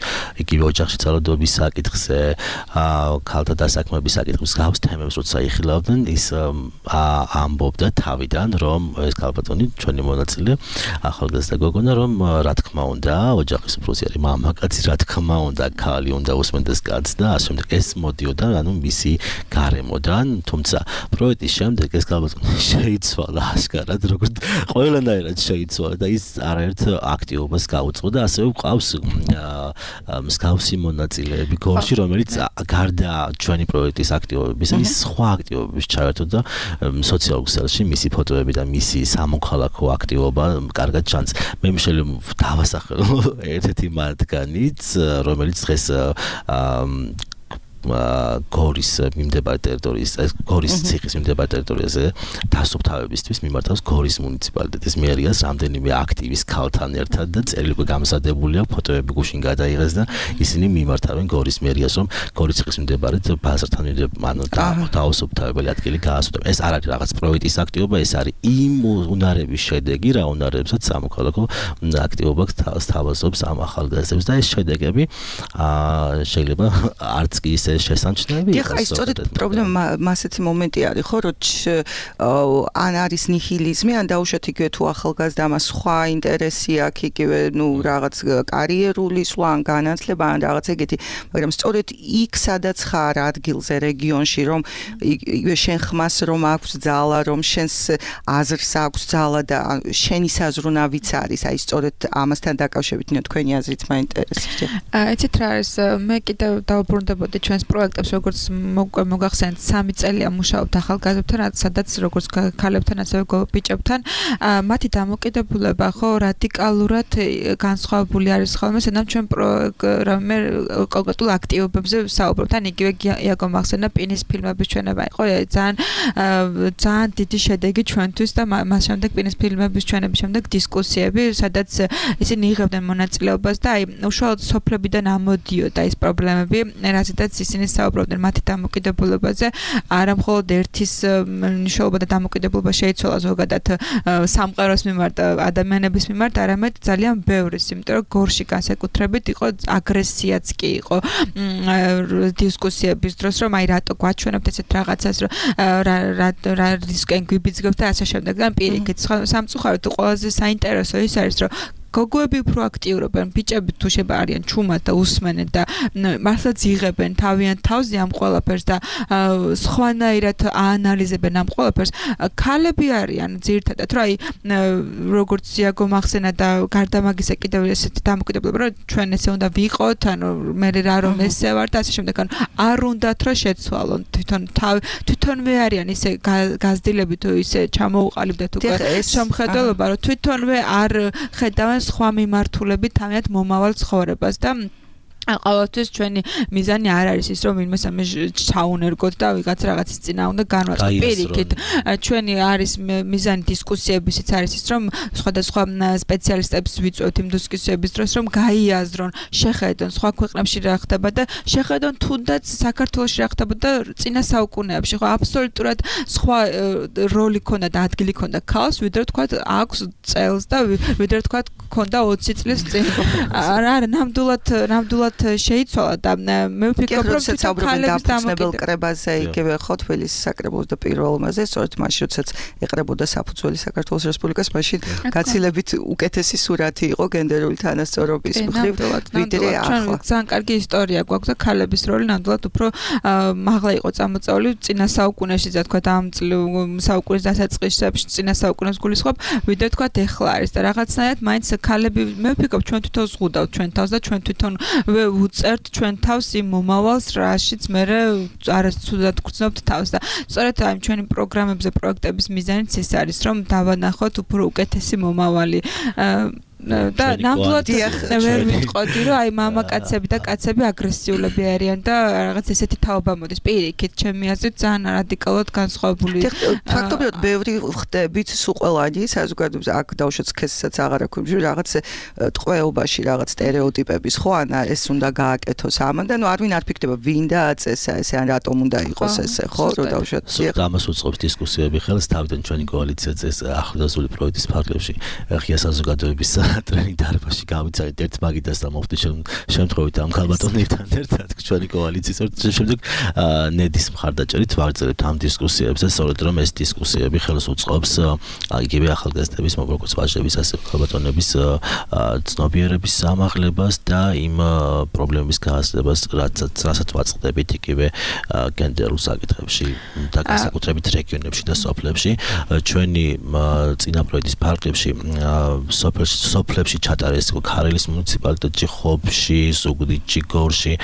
იგივე ოჯახში ძალადობის საკითხზე, ქალთა დასაქმების საკითხის გავს თემებს, როცა იხილავდნენ, ის ამბობდა თავიდან, რომ ეს ქალბატონი ჩვენი მონაწილე, ახალგაზრდა გოგონა, რომ რა თქმა უნდა, ოჯახის უფროსი მამაკაცი, რა თქმა უნდა, ქალი უნდა უსმენდეს კაცს და ასე შემდეგ. ეს მოდიოდა, ანუ მისი გარემოდან, თუმცა პროექტის შემდეგ ეს ქალბატონი შეიცვალა ასკარად, როგორც ყველანაირად შეიცვალა და ის არაერთ აქტივობას გაუძღოდა, ასევე ყავს მსგავსი მონაწილეები გორში, რომელიც გარდა ჩვენი პროექტის აქტივობებისა, ის სხვა აქტივობების ჩაერთო და სოციალურ ქსელში მისი ფოტოები და მისი სამოქალაქო აქტივობა კარგად ჩანს. მე შეიძლება დავასახელო ერთ-ერთი მათგანიც, რომელიც დღეს გორის მიმდებარე ტერიტორიის, გორის ციხის მიმდებარე ტერიტორიაზე დასუფთავებისთვის მიმართავს გორის მუნიციპალიტეტის მერიას რამდენიმე აქტივის ქალთან ერთად და წერილი უკვე გამზადებული აქვს, ფოტოები გუშინ გადაიღეს და ისინი მიმართავენ გორის მერიას, რომ გორის ციხის მიმდებარე ბაზართან ანუ დაუსუფთავებელი ადგილი გაასუფთავონ. ეს არ არის რაღაც პროექტის აქტივობა, ეს არის იმ უნარების შედეგი, რა უნარებსაც სამოქალაქო აქტივობა თავაზობს ამ ახალგაზრდებს და ეს შედეგები შეიძლება არც კი ისე შესამჩნევი
იყოს. აი სწორედ პრობლემა მასეთი მომენტი არის, ხო, რომ ან არის ნიჰილიზმი, ან დაუშვათ იგივე თუ ახალგაზრდა ამას სხვა ინტერესი აქვს, იგივე ნუ რაღაც კარიერული სვლა, ან განათლება, ან რაღაც ეგეთი, მაგრამ სწორედ იქ სადაც ხარ ადგილზე რეგიონში, რომ იგივე შენ ხმას რომ აქვს ძალა, რომ შენს აზრს აქვს ძალა და შენი საზრუნავიც არის, აი სწორედ ამასთან დაკავშირებით თქვენი აზრით მაინტერესებს.
ეცეთ რა არის, მე კიდევ დავბრუნდებოდი ჩვენს პროექტებს როგორც მოგახსენეთ სამი წელია მუშაობთ ახალგაზრდებთან, სადაც როგორც ქალებთან ასევე ბიჭებთან მათი დამოკიდებულება ხო რადიკალურად განსხვავებული არის ხოლმე, სანამ ჩვენ პროგრამერ კონკრეტულ აქტივობებზე საუბრობთ. ან იგივე იაგო მახსენა პინის ფილმების ჩვენება იყო ძალიან ძალიან დიდი შედეგი ჩვენთვის და მას შემდეგ პინის ფილმების ჩვენების შემდეგ დისკუსიები, სადაც ისინი იღებდნენ მონაწილეობას და აი უშუალოდ სოფლებიდან ამოდიოდა ის პრობლემები, რაზედაც ისინი საუბრობდნენ მათი დამოკიდებულებაზე, არა მხოლოდ ერთის მნიშვნელობა და დამოკიდებულება შეიცვალა ზოგადად სამყაროს მიმართ, ადამიანების მიმართ, არამედ ძალიან ბევრის, იმიტომ რომ გორში განსაკუთრებით იყო აგრესიაც კი იყო დისკუსიების დროს, რომ აი რატო გვაჩვენებთ ესეთ რაღაცას, რომ რა რა რისკენ გვიბიძგებთ და ასე შემდეგ. ან პირიქით სამწუხაროდ ყველაზე საინტერესო ის არის, რომ გოგოები უფრო აქტიურობენ, ბიჭები თუ შეიძლება არიან ჩუმად და უსმენენ და მართლაც იღებენ თავიანთ თავზე ამ ყველაფერს და სხვანაირად აანალიზებენ ამ ყველაფერს. ქალები არიან ძირითადად, რომ აი როგორც იაგო მახსენა და გარდა მაგისა კიდევ ესეთი დამოკიდებულება, რომ ჩვენ ესე უნდა ვიყოთ, ანუ მე რა რომ ესე ვარ და ასე შემდეგ, ანუ არ უნდათ რომ შეცვალონ თვითონ თვითონვე არიან ისე გაზრდილები თუ ისე ჩამოუყალიბდეთ უკვე სამხედველობა, რომ თვითონვე არ ხედავენ სხვა მიმართულებით თავიანთ მომავალ ცხოვრებას და ყოველთვის ჩვენი მიზანი არ არის ის რომ ვინმე სამე ჩაუნერგოთ და ვიღაც რაღაცის წინა უნდა განვაწყოთ. პირიქით ჩვენი არის მიზანი დისკუსიებისიც არის ის რომ სხვადასხვა სპეციალისტებს ვიწვევთ იმ დისკუსიების დროს რომ გაიაზრონ, შეხედონ სხვა ქვეყნებში რა ხდება და შეხედონ თუნდაც საქართველოში რა ხდება და წინა საუკუნეებში ხო აბსოლუტურად სხვა როლი ქონდა და ადგილი ქონდა ქალს, ვიდრე თქვა აქვს წელს და ვიდრე თქვა ქონდა ოცი წლის წინ. არა, ნამდვილად ნამდვილად შეიცვალა და მე ვფიქრობ რომ
ქალების დამოკიდებელ კრებაზე იგივე ხო თბილისის საკრებულოს და პირველ მასზე სწორედ მაშინ როდესაც ეყრებოდა საფუძველი საქართველოს რესპუბლიკას, მაშინ გაცილებით უკეთესი სურათი იყო გენდერული თანასწორობის მხრივ ვიდრე ახლა.
ძალიან კარგი ისტორია გვაქვს და ქალების როლი ნამდვილად უფრო მაღლა იყო წამოწეული წინა საუკუნეში, და თქვა ამ საუკუნის დასაწყისებში წინა საუკუნეს გულისხმობ, ვიდრე თქვა ეხლა არის და რაღაცნაირად მაინც ქალები მე ვფიქრობ ჩვენ თვითონ ზღუდავთ ჩვენ თავს და ჩვენ თვითონ უწერთ ჩვენ თავს იმ მომავალს, რაშიც მე არასწორად გრძნობთ თავს და სწორედ ამ ჩვენი პროგრამებზე პროექტების მიზანიც ის არის, რომ დავანახოთ უფრო უკეთესი მომავალი და ნამდვილად ვერ ვიტყოდი რომ აი მამაკაცები და კაცები აგრესიულები არიან და რაღაც ესეთი თაობა მოდის. პირიქით ჩემი აზრით ძალიან რადიკალურად განსხვავებული.
ფაქტობრივად ბევრი ხდებით სულ ყველანი საზოგადოებაზე აქ დავუშვათ სქესსაც აღარ აქვს რაღაც ტყვეობაში რაღაც სტერეოტიპების ხო ან ეს უნდა გააკეთოს ამან და ნუ არ ვინ არ ფიქრდება ვინ დააწესა ესე ან რატომ უნდა იყოს ესე ხო რომ დავუშვათ
ამას უწყობს დისკუსიები ხელს თავიდან ჩვენი კოალიციაც ეს ახლდასული პროექტის ფარგლებში ღია საზოგადოების ტრენინგ დარბაზში გავიცადეთ ერთ მაგიდას და მოვხდი შემთხვევით ამ ქალბატონებთან ერთად ჩვენი კოალიციის შემდეგ ნედის მხარდაჭერით ვაგრძელებთ ამ დისკუსიებს და სწორედ რომ ეს დისკუსიები ხელს უწყობს იგივე ახალგაზრდების როგორც ვაჟების ასე ქალბატონების ცნობიერების სამაღლებას და იმ პრობლემების გააზრებას რასაც ვაწყდებით იგივე გენდერულ საკითხებში და განსაკუთრებით რეგიონებში და სოფლებში ჩვენი წინა პროექტის ფარგლებში სოფლებში სოფლებში ჩატარეს ქარელის მუნიციპალიტეტში, ხობში, ზუგდიდში, გორში,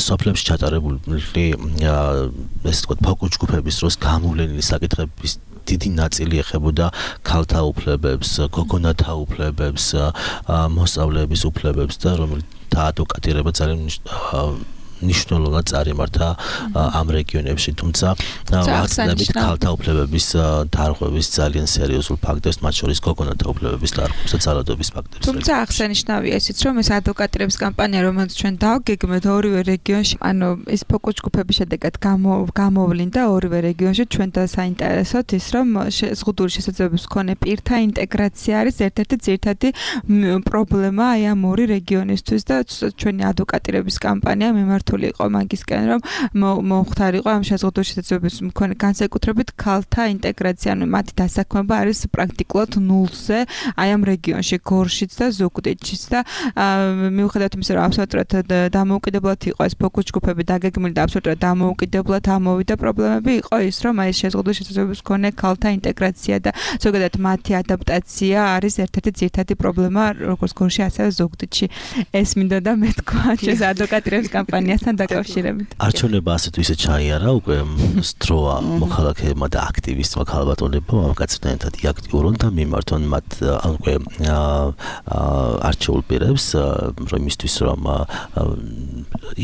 სოფლებში ჩატარებული ესე ვთქვათ ფოკუს ჯგუფების დროს გამოვლენილი საკითხების დიდი ნაწილი ეხებოდა ქალთა უფლებებს, გოგონათა უფლებებს, მოსწავლეების უფლებებს და რომელიც დაადვოკატირება ძალიან ნიშნულოვნად წარიმართა ამ რეგიონებში, თუმცა ვახსენებით ქალთა უფლებების დარღვევის ძალიან სერიოზულ ფაქტებს, მათ შორის გოგონათა უფლებების დარღვევის და ძალადობის ფაქტებს.
თუმცა აღსანიშნავია ისიც, რომ ეს ადვოკატირების კამპანია, რომელიც ჩვენ დავგეგმეთ ორივე რეგიონში, ანუ ეს ფოკუს ჯგუფების შედეგად გამოვლინდა ორივე რეგიონში ჩვენთან საინტერესოდ ის, რომ ზღუდული შესაძლებლობის მქონე პირთა ინტეგრაცია არის ერთ-ერთი ძირითადი პრობლემა აი ამ ორი რეგიონისთვის და ჩვენი ადვოკატირების კამპანია მიმართ იყო მაგისკენ რომ მომხდარიყო ამ შეზღუდული შესაძლებლობის მქონე განსაკუთრებით ქალთა ინტეგრაცია, ანუ მათი დასაქმება არის პრაქტიკულად ნულზე აი ამ რეგიონში, გორშიც და ზუგდიდშიც და მიუხედავად იმისა, რომ აბსოლუტურად დამოუკიდებლად იყო ეს ფოკუს ჯგუფები დაგეგმილი და აბსოლუტურად დამოუკიდებლად ამოვიდა პრობლემები, იყო ის, რომ აი შეზღუდული შესაძლებლობის მქონე ქალთა ინტეგრაცია და ზოგადად მათი ადაპტაცია არის ერთ-ერთი ძირითადი პრობლემა როგორც გორში, ასევე ზუგდიდში. ეს მინდოდა მე თქვა, ეს ადვოკატირების კამპანიას ყველასთან დაკავშირებით.
არჩევნება ასეთ ისე ჩაიარა უკვე სტროა მოქალაქეებმა და აქტივისტებმა ქალბატონებმა მამაკაცებთან ერთად იაქტიურონ და მიმართონ მათ უკვე არჩეულ პირებს რომ იმისთვის რომ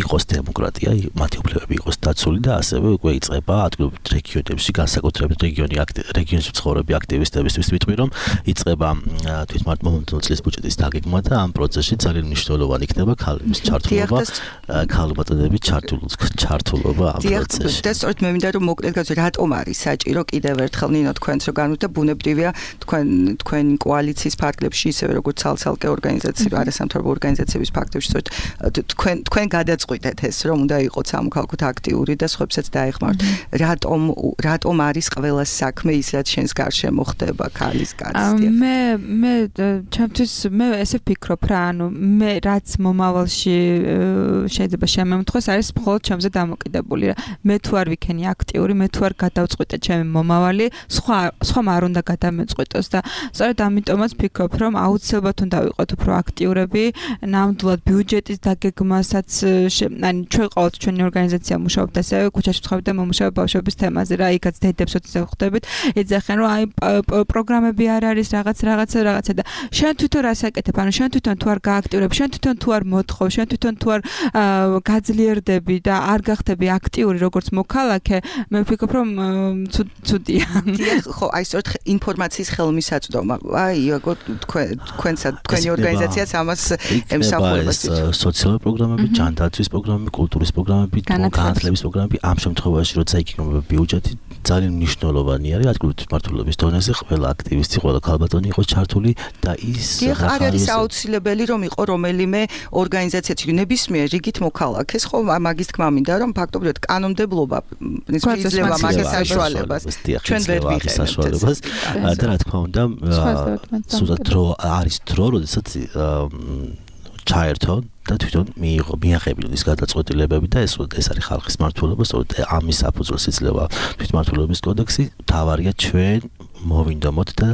იყოს დემოკრატია, მათი უფლებები იყოს დაცული და ასევე უკვე იწყება ადგილობრივ რეგიონებში განსაკუთრებით რეგიონი რეგიონში მცხოვრები აქტივისტებისთვის ვიტყვი რომ იწყება თვითმმართველ წლის ბიუჯეტის დაგეგმა და ამ პროცესში ძალიან მნიშვნელოვანი იქნება ქალების ჩართულობა, ქალბატონების ჩართულობა ამ პროცესში.
და სწორედ მე მინდა რომ მოკლედ გავცე რატომ არის საჭირო კიდევ ერთხელ ნინო თქვენს რო განვით და ბუნებრივია თქვენ თქვენ კოალიციის ფარგლებში ისევე როგორც ცალ-ცალკე ორგანიზაციები, არასამთავრობო ორგანიზაციების ფაქტებში სწორედ თქვენ თქვენ გადაწყვიტეთ ეს რომ უნდა იყოს სამოქალაქოდ აქტიური და სხვებსაც დაეხმაროთ. რატომ რატომ არის ყველა საქმე ის რაც შენს გარშემო ხდება ქალის კაცის?
მე მე ჩემთვის მე ესე ვფიქრობ რა, ანუ მე რაც მომავალში შეიძლება შემემთხოს არის მხოლოდ ჩემზე დამოკიდებული რა. მე თუ არ ვიქენი აქტიური, მე თუ არ გადავწყვიტე ჩემი მომავალი, სხვა სხვამ არ უნდა გადამეწყვიტოს და სწორედ ამიტომაც ვფიქრობ რომ აუცილებლად უნდა ვიყოთ უფრო აქტიურები, ნამდვილად ბიუჯეტის დაგეგმასაც ანუ ჩვენ ყოველთ ჩვენი ორგანიზაცია მუშაობთ ასევე ქუჩაში ვცხოვრობთ და მომუშავებ ბავშვების თემაზე რა, იქაც დედებს ოცი ხვდებით, ეძახენ რომ აი პროგრამები არ არის რაღაც რაღაცა რაღაცა და შენ თვითონ რას აკეთებ, ანუ შენ თვითონ თუ არ გააქტიურებ, შენ თვითონ თუ არ მოთხოვ, შენ თვითონ თუ არ გაძლიერდები და არ გახდები აქტიური როგორც მოქალაქე, მე ვფიქრობ რომ ცუდია.
ხო, აი სწორედ ინფორმაციის ხელმისაწვდომა. აი თქვენ თქვენსა თქვენი ორგანიზაციაც ამას ემსახურება.
სოციალური პროგრამები, ჯანდაცვის პროგრამები, კულტურის პროგრამები, განათლების პროგრამები, ამ შემთხვევაში როცა იქნება ბიუჯეტი ძალიან მნიშვნელოვანი არის ადგილობრივი თვითმმართველობის დონეზე ყველა აქტივისტი, ყველა ქალბატონი იყოს ჩართული და ის
არ არის აუცილებელი რომ იყო რომელიმე ორგანიზაციაში ნებისმიერ რიგით მოქალაქეს, ხო, მაგის თქმა მინდა რომ ფაქტობრივად კანონმდებლობა იძლევა მაგას საშუალებას. ჩვენ ვერ ვიღებთ
და რა თქმა უნდა, სულად დრო არის დრო, როდესაც ჩაერთონ და თვითონ მიიღო მიაღებინონ ის გადაწყვეტილებები და ეს ეს არის ხალხის მართლობა, სწორედ ამის საფუძველს იძლევა თვითმმართველობის კოდექსი. თავარია ჩვენ მოვინდომოთ და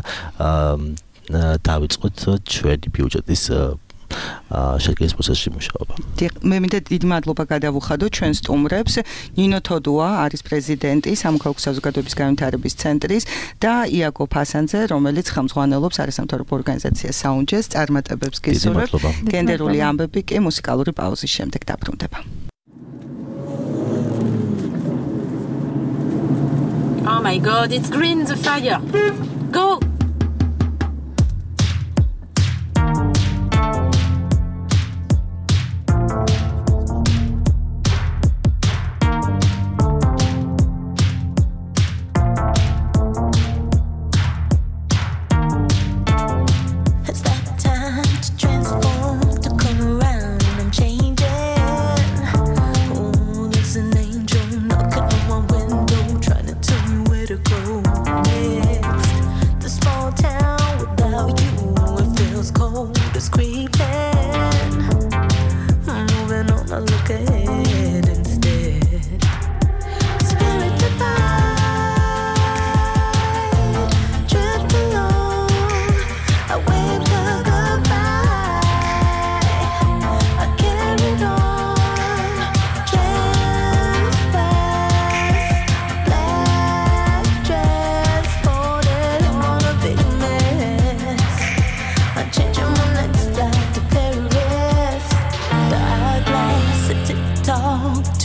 დავიწყოთ ჩვენი ბიუჯეტის შექმნის პროცესში მუშაობა.
მე მინდა დიდი მადლობა გადავუხადო ჩვენ სტუმრებს. ნინო თოდუა არის პრეზიდენტი სამოქალაქო საზოგადოების განვითარების ცენტრის და იაკო ფასანძე, რომელიც ხელმძღვანელობს არასამთავრობო ორგანიზაცია საუნჯეს წარმატებებს გისურვებ. გენდერული ამბები კი მუსიკალური პაუზის შემდეგ დაბრუნდება.
Oh my god, it's green the fire. Go!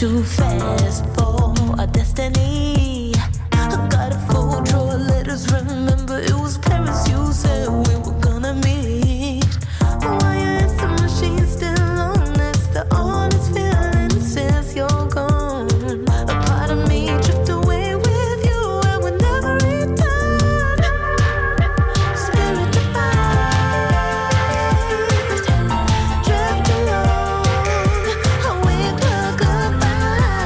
Too fast for our destiny. I got a full drawer of letters. Remember, it was Paris. You said we were gonna meet. Why is the machine still on? It's the honest feeling since you're gone. A part of me drift away with you. I would never return. Spirit divine, drift alone. I wake up goodbye.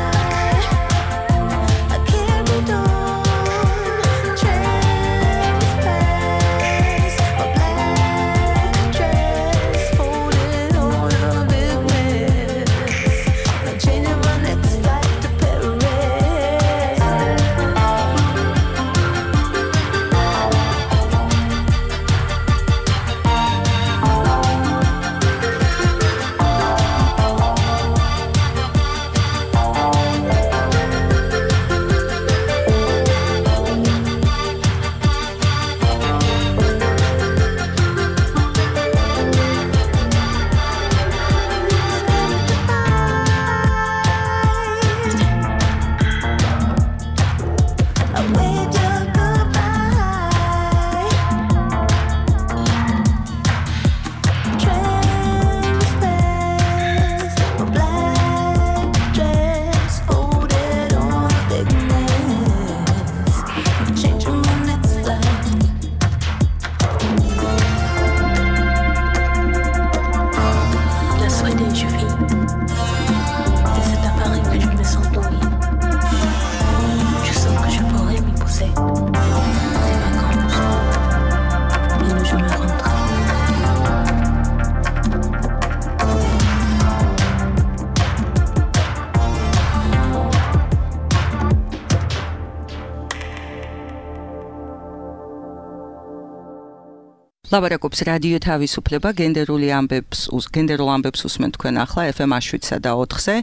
ლაბარაკობს რადიო თავისუფლება გენდერული ამბებს გენდერულ ამბებს უსმენთ თქვენ ახლა ეფ ემ შვიდსა და ოთხზე.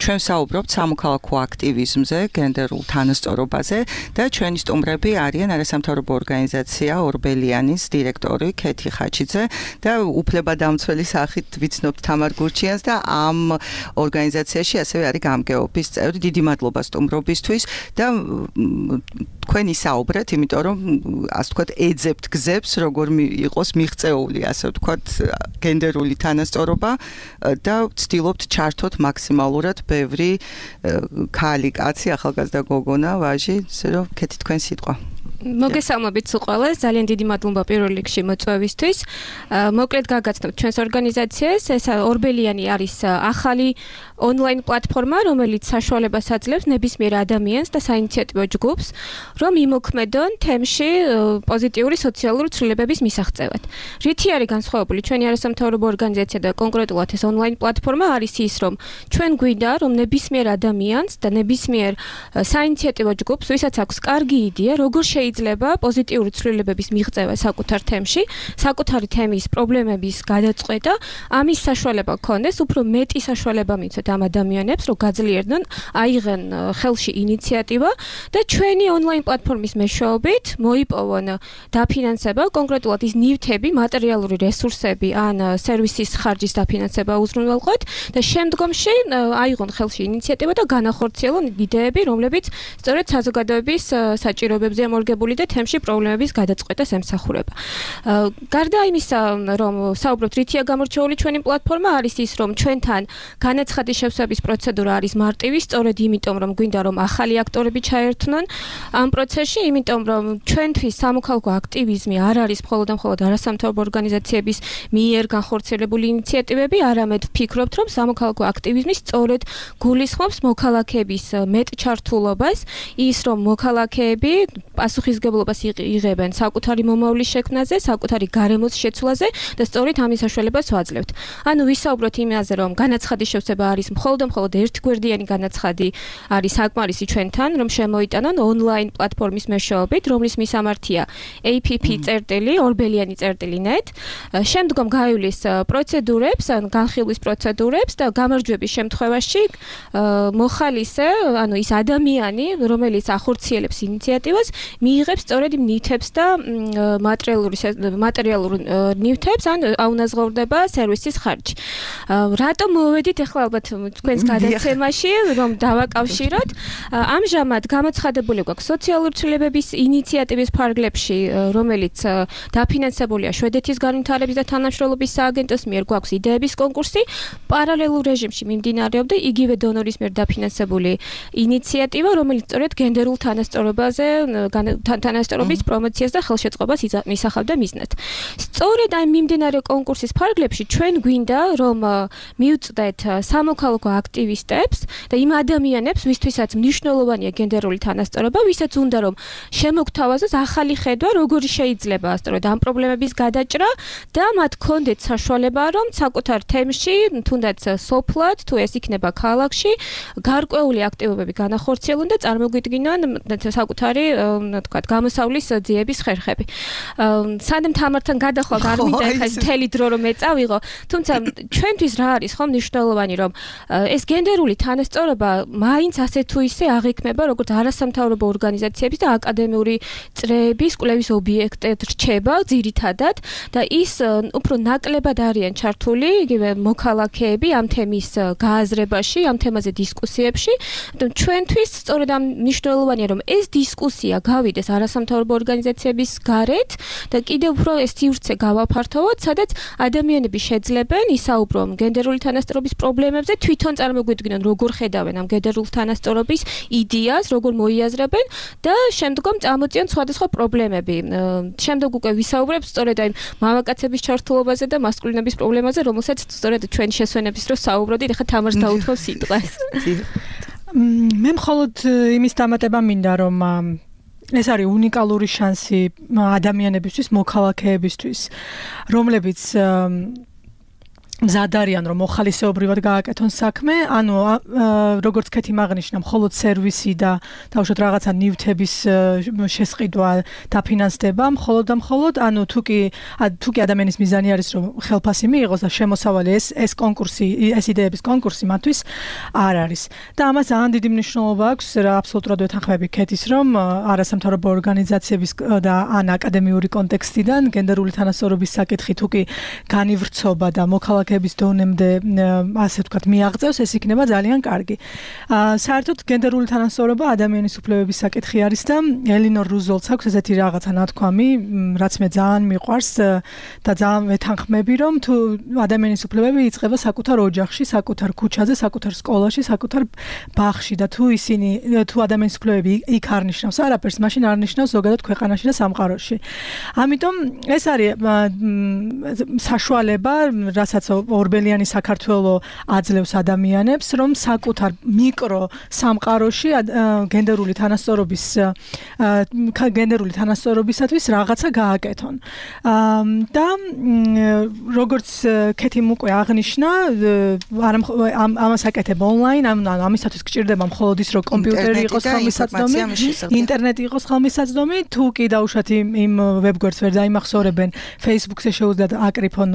ჩვენ საუბრობთ სამოქალაქო აქტივიზმზე, გენდერულ თანასწორობაზე და ჩვენი სტუმრები არიან არასამთავრობო ორგანიზაცია ორბელიანის დირექტორი ქეთი ხაჩიძე და უფლებადამცველი სახით ვიცნობთ თამარ გურჩიანს და ამ ორგანიზაციაში ასევე არის გამგეობის წევრი. დიდი მადლობა სტუმრობისთვის და თქვენ ისაუბრეთ, იმიტომ რომ ასე ვთქვათ ეძებთ გზებს, როგორ იყოს მიღწეული, ასე ვთქვათ, გენდერული თანასწორობა და ვცდილობთ ჩართოთ მაქსიმალურად ბევრი ქალი, კაცი, ახალგაზრდა გოგონა, ვაჟი, ისე რომ ქეთი თქვენ სიტყვა.
მოგესალმებით ყველას, ძალიან დიდი მადლობა პირველ რიგში მოწვევისთვის. მოკლედ გაგაცნობთ ჩვენს ორგანიზაციას, ეს ორბელიანი არის ახალი ონლაინ პლატფორმა, რომელიც საშუალებას აძლევს ნებისმიერ ადამიანს და საინიციატივო ჯგუფს, რომ იმოქმედონ თემში პოზიტიური სოციალური ცვლილებების მისაღწევად. რითი არის განსხვავებული ჩვენი არასამთავრობო ორგანიზაცია და კონკრეტულად ეს ონლაინ პლატფორმა არის ის, რომ ჩვენ გვინდა, რომ ნებისმიერ ადამიანს და ნებისმიერ საინიციატივო ჯგუფს, ვისაც აქვს კარგი იდეა, როგორ შეიძლება პოზიტიური ცვლილებების მიღწევა საკუთარ თემში, საკუთარი თემის პრობლემების გადაწყვეტა, ამის საშუალება გქონდეს, უფრო მეტი საშუალება მიცოთ ამ ადამიანებს, რომ გაძლიერდნენ, აიღენ ხელში ინიციატივა და ჩვენი ონლაინ პლატფორმის მეშვეობით მოიპოვონ დაფინანსება, კონკრეტულად ის ნივთები, მატერიალური რესურსები ან სერვისის ხარჯის დაფინანსება უზრუნველყოთ და შემდგომში აიღონ ხელში ინიციატივა და განახორციელონ იდეები, რომლებიც სწორედ საზოგადოების საჭიროებებზე მორგებული და თემში პრობლემების გადაწყვეტას ემსახურება. გარდა იმისა, რომ საუბრობთ რითია გამორჩეული ჩვენი პლატფორმა, არის ის, რომ ჩვენთან განაცხადის შევსების პროცედურა არის მარტივი, სწორედ იმიტომ, რომ გვინდა რომ ახალი აქტორები ჩაერთვნონ ამ პროცესში, იმიტომ რომ ჩვენთვის სამოქალაქო აქტივიზმი არ არის მხოლოდ და მხოლოდ არასამთავრობო ორგანიზაციების მიერ განხორციელებული ინიციატივები, არამედ ვფიქრობთ, რომ სამოქალაქო აქტივიზმი სწორედ გულისხმობს მოქალაქეების მეტ ჩართულობას, ის რომ მოქალაქეები პასუხისგებლობას იღებენ საკუთარი მომავლის შექმნაზე, საკუთარი გარემოს შეცვლაზე და სწორედ ამის საშუალებას ვაძლევთ. ანუ ვისაუბროთ იმაზე, რომ განაცხადის შევსება არის მხოლოდ და მხოლოდ ერთგვერდიანი განაცხადი არის საკმარისი ჩვენთან, რომ შემოიტანონ ონლაინ პლატფორმის მეშვეობით, რომლის მისამართია ეი პი პი წერტილი ორბელიანი წერტილი net. შემდგომ გაივლის პროცედურებს, ან განხილვის პროცედურებს და გამარჯვების შემთხვევაში მოხალისე, ანუ ის ადამიანი, რომელიც ახორციელებს ინიციატივას, მიიღებს სწორედ იმ ნივთებს და მატერიალური მატერიალურ ნივთებს, ან აუნაზღაურდება სერვისის ხარჯი. რატომ მოვედით ახლა ალბათ თქვენს გადაცემაში, რომ დავაკავშიროთ? ამჟამად გამოცხადებული გვაქვს სოციალური ცვლილებების ინიციატივის ფარგლებში, რომელიც დაფინანსებულია შვედეთის განვითარების და თანამშრომლობის სააგენტოს მიერ, გვაქვს იდეების კონკურსი, პარალელურ რეჟიმში მიმდინარეობდა იგივე დონორის მიერ დაფინანსებული ინიციატივა, რომელიც სწორედ გენდერულ თანასწორობაზე თანასწორობის პრომოციას და ხელშეწყობას ისახავდა მიზნად. სწორედ ამ მიმდინარე კონკურსის ფარგლებში ჩვენ გვინდა, რომ მივწდეთ სამოქალაქო აქტივისტებს და იმ ადამიანებს, ვისთვისაც მნიშვნელოვანია გენდერული თანასწორობა, ვისაც უნდა რომ შემოგთავაზოს ახალი ხედვა, როგორი შეიძლება სწორედ ამ პრობლემების გადაჭრა და მათ ქონდეთ საშუალება, რომ საკუთარ თემში, თუნდაც სოფლად, თუ ეს იქნება ქალაქში, გარკვეული აქტივობები განახორციელონ და წარმოგვიდგინონ საკუთარი, თქვათ, გამოსავლის ძიების ხერხები. სანამ თამართან გადახვალ არ მინდა ეხლა მთელი დრო რომ ეწავიღო, თუმცა ჩვენთვის რა არის ხომ მნიშვნელოვანი, რომ ეს გენდერული თანასწორობა მაინც ასე თუ ისე აღიქმება როგორც არასამთავრობო ორგანიზაციების და აკადემიური წრეების კვლევის ობიექტად რჩება ძირითადად და ის უფრო ნაკლებად არიან ჩართული იგივე მოქალაქეები ამ თემის გააზრებაში, ამ თემაზე დისკუსიებში. ჩვენთვის სწორედ ამ მნიშვნელოვანია, რომ ეს დისკუსია გავიდეს არასამთავრობო ორგანიზაციების გარეთ და კიდევ უფრო ეს სივრცე გავაფართოვოთ, სადაც ადამიანები შეძლებენ ისაუბრონ გენდერული თანასწორობის პრობლემებზე, თვითონ წარმოგვიდგინონ როგორ ხედავენ ამ გენდერულ თანასწორობის იდეას, როგორ მოიაზრებენ და შემდგომ წამოწიონ სხვადასხვა პრობლემები. შემდეგ უკვე ვისაუბრებ სწორედ აი მამაკაცების ჩართულობაზე და მასკულინების პრობლემაზე, რომელსაც სწორედ ჩვენ შესვენების დროს საუბრობდით, ეხლა თამარს დაუთმობ სიტყვას.
მე მხოლოდ იმის დამატება მინდა, რომ ეს არის უნიკალური შანსი ადამიანებისთვის, მოქალაქეებისთვის, რომლებიც მზად არიან რომ მოხალისეობრივად გააკეთონ საქმე, ანუ როგორც ქეთი აღნიშნა, მხოლოდ სერვისი და თავშოთ რაღაცა ნივთების შესყიდვა დაფინანსდება, მხოლოდ და მხოლოდ, ანუ თუ კი თუ კი ადამიანის მიზანი არის რომ ხელფასი მიიღოს და შემოსავალი ეს ეს კონკურსი, ეს იდეების კონკურსი მათთვის არ არის. და ამას ძალიან დიდი მნიშვნელობა აქვს რა აბსოლუტურად ვეთანხმები ქეთის რომ არასამთავრობო ორგანიზაციების და ან აკადემიური კონტექსტიდან გენდერული თანასწორობის საკითხი თუ კი განივრცობა და მოქალაქე ების დონემდე ასე ვთქვათ მიაღწევს ეს იქნება ძალიან კარგი. საერთოდ გენდერული თანასწორობა ადამიანის უფლებების საკითხი არის და ელინორ რუზველტს აქვს ესეთი რაღაცა ნათქვამი, რაც მე ძალიან მიყვარს და ძალიან ვეთანხმები, რომ თუ ადამიანის უფლებები იწყება საკუთარ ოჯახში, საკუთარ ქუჩაზე, საკუთარ სკოლაში, საკუთარ ბაღში და თუ ისინი თუ ადამიანის უფლებები იქ არ ნიშნავს არაფერს, მაშინ არ ნიშნავს ზოგადად ქვეყანაში და სამყაროში. ამიტომ ეს არის საშუალება, რასაც ორბელიანი საქართველო აძლევს ადამიანებს, რომ საკუთარ მიკრო სამყაროში გენდერული თანასწორობის გენდერული თანასწორობისათვის რაღაცა გააკეთონ. და როგორც ქეთიმ უკვე აღნიშნა, ამას აკეთებ ონლაინ, ამისათვის გჭირდება მხოლოდ ის, რომ კომპიუტერი იყოს ხელმისაწვდომი, ინტერნეტი იყოს ხელმისაწვდომი, თუ კი დაუშვათ იმ ვებგვერდს ვერ დაიმახსოვრებენ, Facebook-ზე შეუძლიათ აკრიფონ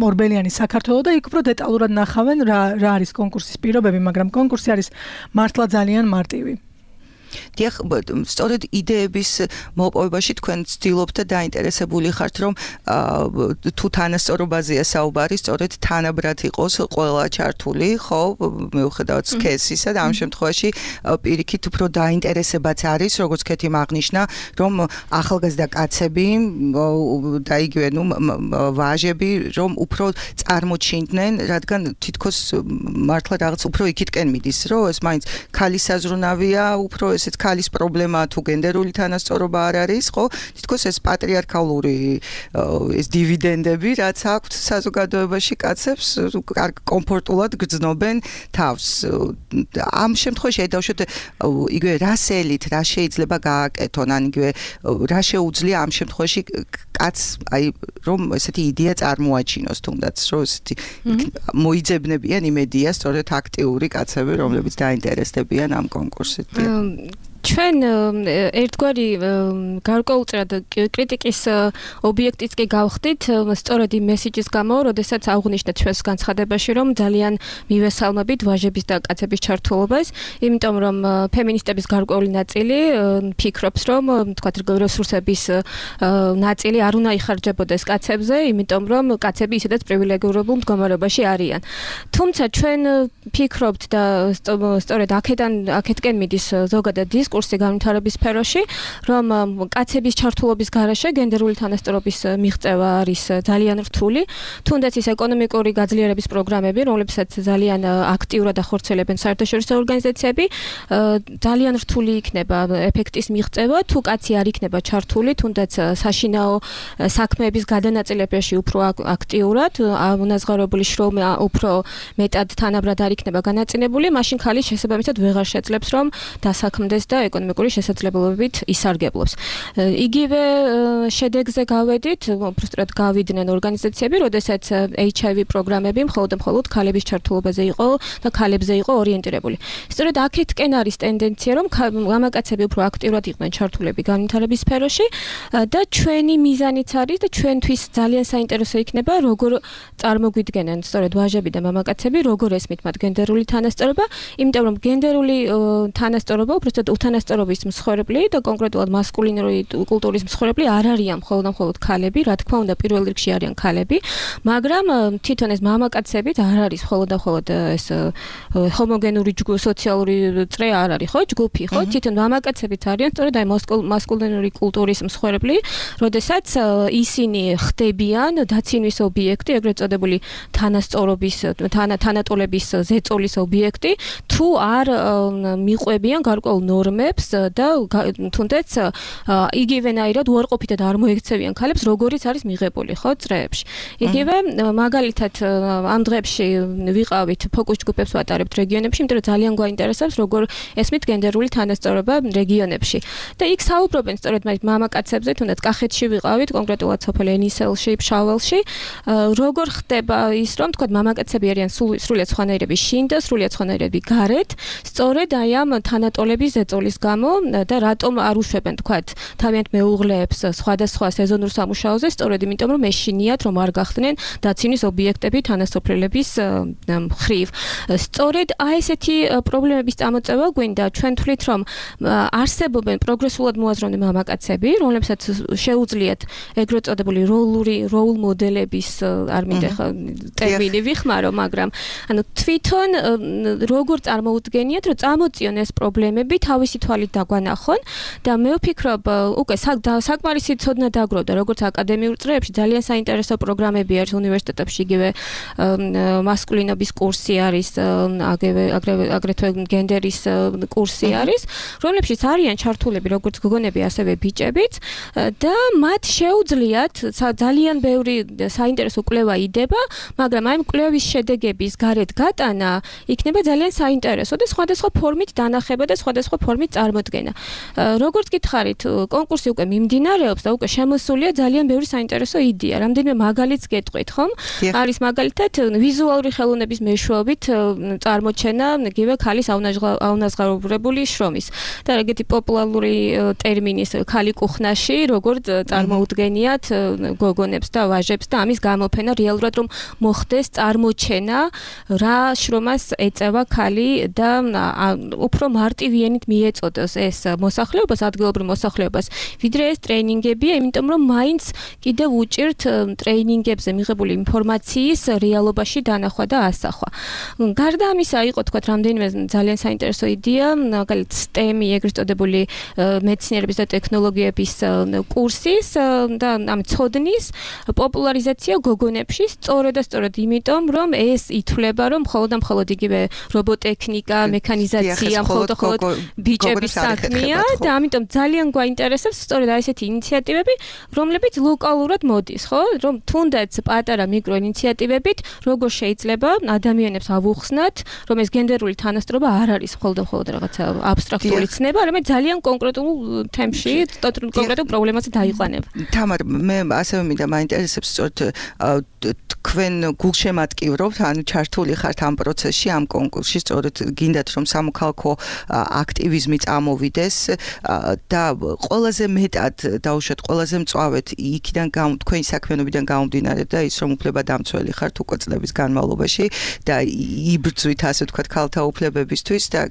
ორბელიანი საქართველო და იქ უფრო დეტალურად ნახავენ რა რა არის კონკურსის პირობები, მაგრამ კონკურსი არის მართლა ძალიან მარტივი.
დიახ, სწორედ იდეების მოპოვებაში თქვენ ცდილობთ და დაინტერესებული ხართ, რომ თუ თანასწორობაზეა საუბარი, სწორედ თანაბრად იყოს ყველა ჩართული, ხო, მიუხედავად სქესისა და ამ შემთხვევაში პირიქით უფრო დაინტერესებაც არის, როგორც ქეთი აღნიშნა, რომ ახალგაზრდა კაცები და იგივე, ნუ ვაჟები, რომ უფრო წარმოჩინდნენ, რადგან თითქოს მართლა რაღაც უფრო იქითკენ მიდის, რომ ეს მაინც ქალის საზრუნავია, უფრო ესეც ქალის პრობლემა თუ გენდერული თანასწორობა არ არის, ხო? თითქოს ეს პატრიარქალური ეს დივიდენდები, რაც აქვთ საზოგადოებაში კაცებს, კომფორტულად გრძნობენ თავს. ამ შემთხვევაში დაუშვათ იგივე რასელით, რა შეიძლება გააკეთონ, ან იგივე რა შეუძლია ამ შემთხვევაში კაცს, აი რომ ესეთი იდეა წარმოაჩინოს, თუნდაც რომ ესეთი მოიძებნებიან იმედია სწორედ აქტიური კაცები, რომლებიც დაინტერესდებიან ამ კონკურსით.
ჩვენ ერთგვარი გარკვეულწრად კრიტიკის ობიექტიც კი გავხდით, სწორედ იმ მესიჯის გამო, როდესაც აღვნიშნეთ ჩვენს განცხადებაში, რომ ძალიან მივესალმებით ვაჟების და კაცების ჩართულობას, იმიტომ რომ ფემინისტების გარკვეული ნაწილი ფიქრობს, რომ თქვათ რესურსების ნაწილი არ უნდა იხარჯებოდეს კაცებზე, იმიტომ რომ კაცები ისედაც პრივილეგირებულ მდგომარეობაში არიან. თუმცა ჩვენ ფიქრობთ და სწორედ აქედან აქეთკენ მიდის ზოგადად კურსი განვითარების სფეროში, რომ კაცების ჩართულობის გარეშე გენდერული თანასწორობის მიღწევა არის ძალიან რთული, თუნდაც ის ეკონომიკური გაძლიერების პროგრამები, რომლებსაც ძალიან აქტიურად ახორციელებენ საერთაშორისო ორგანიზაციები, ძალიან რთული იქნება ეფექტის მიღწევა, თუ კაცი არ იქნება ჩართული, თუნდაც საშინაო საქმეების გადანაწილებაში უფრო აქტიურად, მონაზღაურებული შრომა უფრო მეტად თანაბრად არ იქნება განაწილებული, მაშინ ქალი შესაბამისად ვეღარ შეძლებს, რომ დასაქმდეს და ეკონომიკური შესაძლებლობებით ისარგებლობს. იგივე შედეგზე გავედით, უბრალოდ გავიდნენ ორგანიზაციები, როდესაც ეიჩ აი ვი პროგრამები მხოლოდ და მხოლოდ ქალების ჩართულობაზე იყო და ქალებზე იყო ორიენტირებული. სწორედ აქეთკენ არის ტენდენცია, რომ მამაკაცები უფრო აქტიურად იყვნენ ჩართულები განვითარების სფეროში და ჩვენი მიზანიც არის და ჩვენთვის ძალიან საინტერესო იქნება, როგორ წარმოგვიდგენენ სწორედ ვაჟები და მამაკაცები, როგორ ესმით მათ გენდერული თანასწორობა, იმიტომ რომ გენდერული თანასწორობა უბრალოდ უთანასწორობის მსხვერპლი და კონკრეტულად მასკულინური კულტურის მსხვერპლი არ არიან მხოლოდ და მხოლოდ ქალები, რა თქმა უნდა პირველ რიგში არიან ქალები, მაგრამ თვითონ ეს მამაკაცებიც არ არის მხოლოდ და მხოლოდ ეს ჰომოგენური სოციალური წრე არ არის, ხო, ჯგუფი, ხო, თვითონ მამაკაცებიც არიან სწორედ აი მასკულინური კულტურის მსხვერპლი, როდესაც ისინი ხდებიან დაცინვის ობიექტი, ეგრეთ წოდებული თანასწორობის თანატოლების ზეწოლის ობიექტი, თუ არ მიყვებიან გარკვეულ ნორმებს შრომებს და თუნდაც იგივენაირად უარყოფითად არ მოექცევიან ქალებს, როგორიც არის მიღებული, ხო, წრეებში. იგივე მაგალითად ამ დღეებში ვიყავით ფოკუს ჯგუფებს ვატარებთ რეგიონებში, იმიტომ რომ ძალიან გვაინტერესებს როგორ ესმით გენდერული თანასწორობა რეგიონებში. და იქ საუბრობენ სწორედ მაგ მამაკაცებზე, თუნდაც კახეთში ვიყავით, კონკრეტულად სოფელ ენისელში, ფშაველში, როგორ ხდება ის, რომ თქვა მამაკაცები არიან სრულიად სხვანაირები შინ და სრულიად სხვანაირები გარეთ, სწორედ აი ამ თანატოლების ზეწოლის გამო და რატომ არ უშვებენ თქვა თავიანთ მეუღლეებს სხვადასხვა სეზონურ სამუშაოზე, სწორედ იმიტომ რომ ეშინიათ რომ არ გახდნენ დაცინვის ობიექტები თანასოფლელების მხრივ. სწორედ აი ესეთი პრობლემების წამოწევა გვინდა, ჩვენ თვლით რომ არსებობენ პროგრესულად მოაზროვნე მამაკაცები, რომლებსაც შეუძლიათ ეგრეთ წოდებული როლური როულ მოდელების არ მინდა ხა ტერმინი ვიხმარო, მაგრამ ანუ თვითონ როგორ წარმოუდგენიათ, რომ წამოწიონ ეს პრობლემები თავისი თვალით დაგვანახონ და მე ვფიქრობ, უკვე საკმარისი ცოდნა დაგროვდა, როგორც აკადემიურ წრეებში ძალიან საინტერესო პროგრამები არის უნივერსიტეტებში, იგივე მასკულინობის კურსი არის, აგრეთვე გენდერის კურსი არის, რომლებშიც არიან ჩართულები როგორც გოგონები, ასევე ბიჭებიც და მათ შეუძლიათ ძალიან ბევრი საინტერესო კვლევა იდება, მაგრამ აი კვლევის შედეგების გარეთ გატანა იქნება ძალიან საინტერესო და სხვადასხვა ფორმით დანახება და სხვადასხვა ფორმით წარმოდგენა. როგორც გითხარით, კონკურსი უკვე მიმდინარეობს და უკვე შემოსულია ძალიან ბევრი საინტერესო იდეა. რამდენიმე მაგალითს გეტყვით, ხომ? არის მაგალითად ვიზუალური ხელოვნების მეშვეობით წარმოჩენა იგივე ქალის აუნაზღაურებული შრომის და ეგეთი პოპულარული ტერმინის ქალი კუხნაში, როგორც წარმოუდგენიათ გოგონებს და ვაჟებს და ამის გამოფენა რეალურად რომ მოხდეს წარმოჩენა რა შრომას ეწევა ქალი და უფრო მარტივიანით მიეწოდოს ეს მოსახლეობას, ადგილობრივ მოსახლეობას, ვიდრე ეს ტრეინინგებია, იმიტომ რომ მაინც კიდევ უჭირთ ტრეინინგებზე მიღებული ინფორმაციის რეალობაში დანახვა და ასახვა. გარდა ამისა, იყო თქვა რამდენიმე ძალიან საინტერესო იდეა, მაგალითად STEM-ი, ეგრეთ წოდებული მეცნიერების და ტექნოლოგიების კურსის და ამ ცოდნის პოპულარიზაცია გოგონებში, სწორედ და სწორედ იმიტომ, რომ ეს ითვლება, რომ მხოლოდ და მხოლოდ იგივე რობოტექნიკა, მექანიზაცია, მხოლოდ და მხოლოდ ბიჭების საქმეა და ამიტომ ძალიან გვაინტერესებს სწორედ აი ესეთი ინიციატივები, რომლებიც ლოკალურად მოდის, ხო? რომ თუნდაც პატარა მიკრო ინიციატივებით როგორ შეიძლება ადამიანებს ავუხსნათ, რომ ეს გენდერული თანასწორობა არ არის მხოლოდ და მხოლოდ რაღაცა აბსტრაქტული ცნება, არამედ ძალიან კონკრეტულ თემში, კონკრეტულ პრობლემაზე დაიყვანება.
თამარ, მე ასევე მინდა მაინტერესებს სწორედ თქვენ გულშემატკივრობთ, ანუ ჩართული ხართ ამ პროცესში, ამ კონკურსში, სწორედ გინდათ რომ სამოქალაქო აქტივიზმი წამოვიდეს და ყველაზე მეტად დაუშვათ, ყველაზე მწვავედ იქიდან თქვენი საქმიანობიდან გამომდინარე და ის რომ უფლებადამცველი ხართ უკვე წლების განმავლობაში და იბრძვით ასე ვთქვათ ქალთა უფლებებისთვის და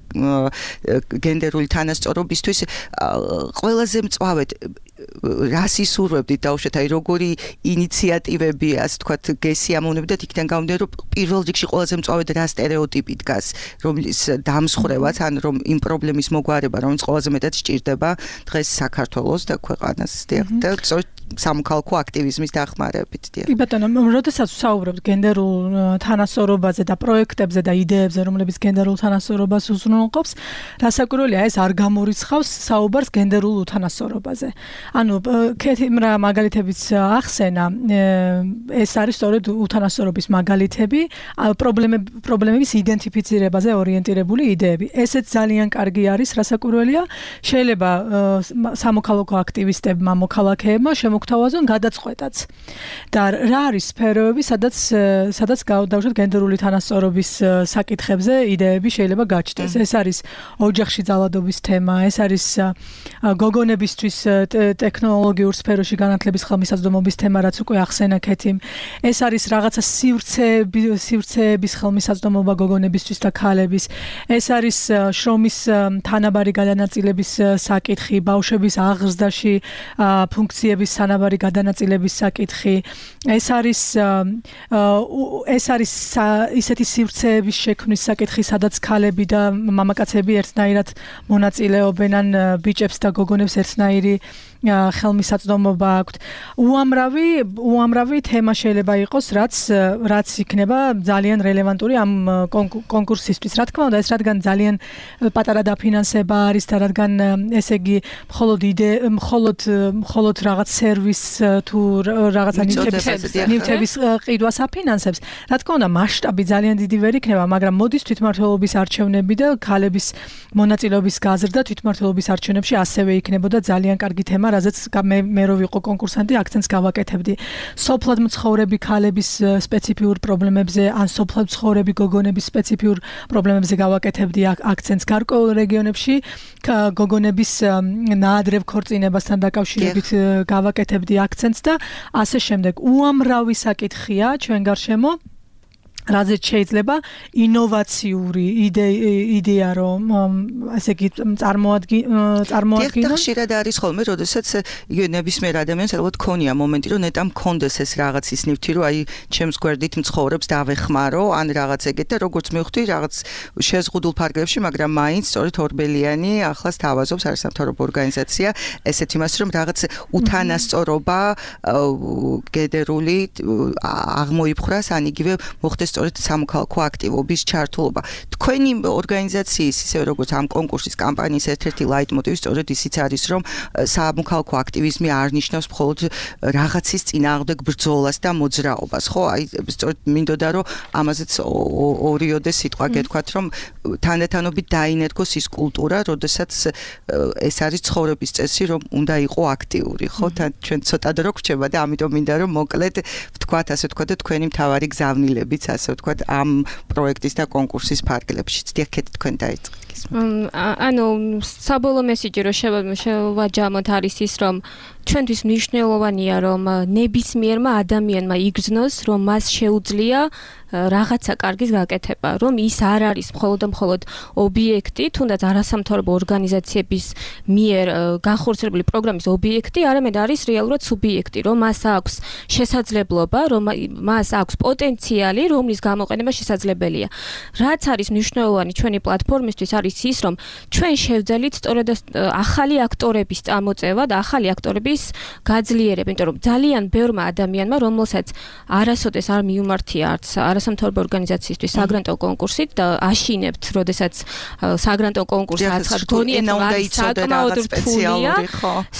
გენდერული თანასწორობისთვის, ყველაზე მწვავედ რას ისურვებდით დაუშვათ, აი როგორი ინიციატივები ასე ვთქვათ გესიამოვნებდით იქიდან გამომდინარე, რომ პირველ რიგში ყველაზე მწვავედ რა სტერეოტიპი დგას, რომლის დამსხვრევაც, ან რომ იმ პრობლემის მოგვარება, რომელიც ყველაზე მეტად სჭირდება დღეს საქართველოს და ქვეყანას და სამოქალაქო აქტივიზმის დახმარებით.
კი ბატონო, როდესაც ვსაუბრობთ გენდერულ თანასწორობაზე და პროექტებზე და იდეებზე, რომლებიც გენდერულ თანასწორობას უზრუნველყოფს, რასაკვირველია, ეს არ გამორიცხავს საუბარს გენდერულ უთანასწორობაზე. ანუ კეთილმა მაგალითებიც ახსენა, ეს არის სწორედ უთანასწორობის მაგალითები, პრობლემების იდენტიფიცირებაზე ორიენტირებული იდეები. ესეც ძალიან კარგი არის, რასაკვირველია, შეიძლება სამოქალაქო აქტივისტებმა, მოქალაქეებმა მოგთავაზონ გადაწყვეტაც. და რა არის სფეროები, სადაც სადაც დავუშვათ გენდერული თანასწორობის საკითხებზე იდეები შეიძლება გაჩნდეს. ეს არის ოჯახში ძალადობის თემა, ეს არის გოგონებისთვის ტექნოლოგიურ სფეროში განათლების ხელმისაწვდომობის თემა, რაც უკვე ახსენა კეთიმ. ეს არის რაღაცა სივრცეები, სივრცეების ხელმისაწვდომობა გოგონებისთვის და ქალების. ეს არის შრომის თანაბარი გადანაწილების საკითხი, ბავშვების აღზრდაში ფუნქციების თანაბარი გადანაწილების საკითხი. ეს არის ეს არის ისეთი სივრცეების შექმნის საკითხი, სადაც ქალები და მამაკაცები ერთნაირად მონაწილეობენ ან ბიჭებს და გოგონებს ერთნაირი ხელმისაწვდომობა აქვთ. უამრავი უამრავი თემა შეიძლება იყოს, რაც რაც იქნება ძალიან რელევანტური ამ კონკურსისთვის. Რა თქმა უნდა, ეს რადგან ძალიან პატარა დაფინანსება არის და რადგან ესე იგი მხოლოდ იდე მხოლოდ მხოლოდ რაღაც სერვის თუ რაღაცა ნივთების ყიდვას აფინანსებს. Რა თქმა უნდა, მასშტაბი ძალიან დიდი ვერ იქნება, მაგრამ მოდის თვითმმართველობის არჩევნები და ქალების მონაწილეობის გაზრდა თვითმმართველობის არჩევნებში ასევე იქნებოდა ძალიან კარგი თემა, რაზეც მე მე რო ვიყო კონკურსანტი, აქცენტს გავაკეთებდი. სოფლად მცხოვრები ქალების სპეციფიურ პრობლემებზე, ან სოფლად მცხოვრები გოგონების სპეციფიურ პრობლემებზე გავაკეთებდი აქცენტს გარკვეულ რეგიონებში, გოგონების ნაადრევ ქორწინებასთან დაკავშირებით გავაკეთებდი აქცენტს და ასე შემდეგ. უამრავი საკითხია ჩვენ გარშემო, რაზეც შეიძლება ინოვაციური იდეა რომ ასე იგი წარმოადგინოს.
ხშირად არის ხოლმე, როდესაც ნებისმიერ ადამიანს ალბათ ქონია მომენტი, რომ ნეტა მქონდეს ეს რაღაც ის ნივთი, რომ აი ჩემს გვერდით მცხოვრებს დავეხმარო, ან რაღაც ეგეთ და როგორც მივხვდი, რაღაც შეზღუდულ ფარგლებში, მაგრამ მაინც სწორედ ორბელიანი ახლას თავაზობს არასამთავრობო ორგანიზაცია, ესეთ იმას, რომ რაღაც უთანასწორობა გენდერული აღმოიფხრას, ან იგივე მოხდეს სწორედ სამოქალაქო აქტივობის ჩართულობა. თქვენი ორგანიზაციის, ისე როგორც ამ კონკურსის კამპანიის ერთ-ერთი ლაიტმოტივი სწორედ ისიც არის, რომ სამოქალაქო აქტივიზმი არ ნიშნავს მხოლოდ რაღაცის წინააღმდეგ ბრძოლას და მოძრაობას, ხო? აი სწორედ მინდოდა რომ ამაზეც ორიოდე სიტყვა გეთქვათ, რომ თანდათანობით დაინერგოს ის კულტურა, როდესაც ეს არის ცხოვრების წესი, რომ უნდა იყო აქტიური, ხო? თან ჩვენ ცოტა დრო გვჭება და ამიტომ მინდა რომ მოკლედ ვთქვათ, ასე ვთქვათ და თქვენი მთავარი გზავნილებიც, ასე ვთქვათ, ამ პროექტის და კონკურსის ფარგლებშიც. დიახეთ, თქვენ დაიწყეთ.
ანუ საბოლოო მესიჯი რო შევაჯამოთ არის ის, რომ ჩვენთვის მნიშვნელოვანია, რომ ნებისმიერმა ადამიანმა იგრძნოს, რომ მას შეუძლია რაღაცა კარგის გაკეთება, რომ ის არ არის მხოლოდ და მხოლოდ ობიექტი, თუნდაც არასამთავრობო ორგანიზაციების მიერ განხორციელებული პროგრამის ობიექტი, არამედ არის რეალურად სუბიექტი, რომ მას აქვს შესაძლებლობა, რომ მას აქვს პოტენციალი, რომლის გამოყენება შესაძლებელია. რაც არის მნიშვნელოვანი ჩვენი პლატფორმისთვის არის ის, რომ ჩვენ შევძელით სწორედ ახალი აქტორების წამოწევა და ახალი აქტორების გაძლიერება, იმიტომ რომ ძალიან ბევრმა ადამიანმა, რომელსაც არასოდეს არ მიუმართია არც არასამთავრობო ორგანიზაციისთვის საგრანტო კონკურსით და აშინებთ, როდესაც საგრანტო კონკურსს აცხადებს, გონიათ რომ საკმაოდ რთულია.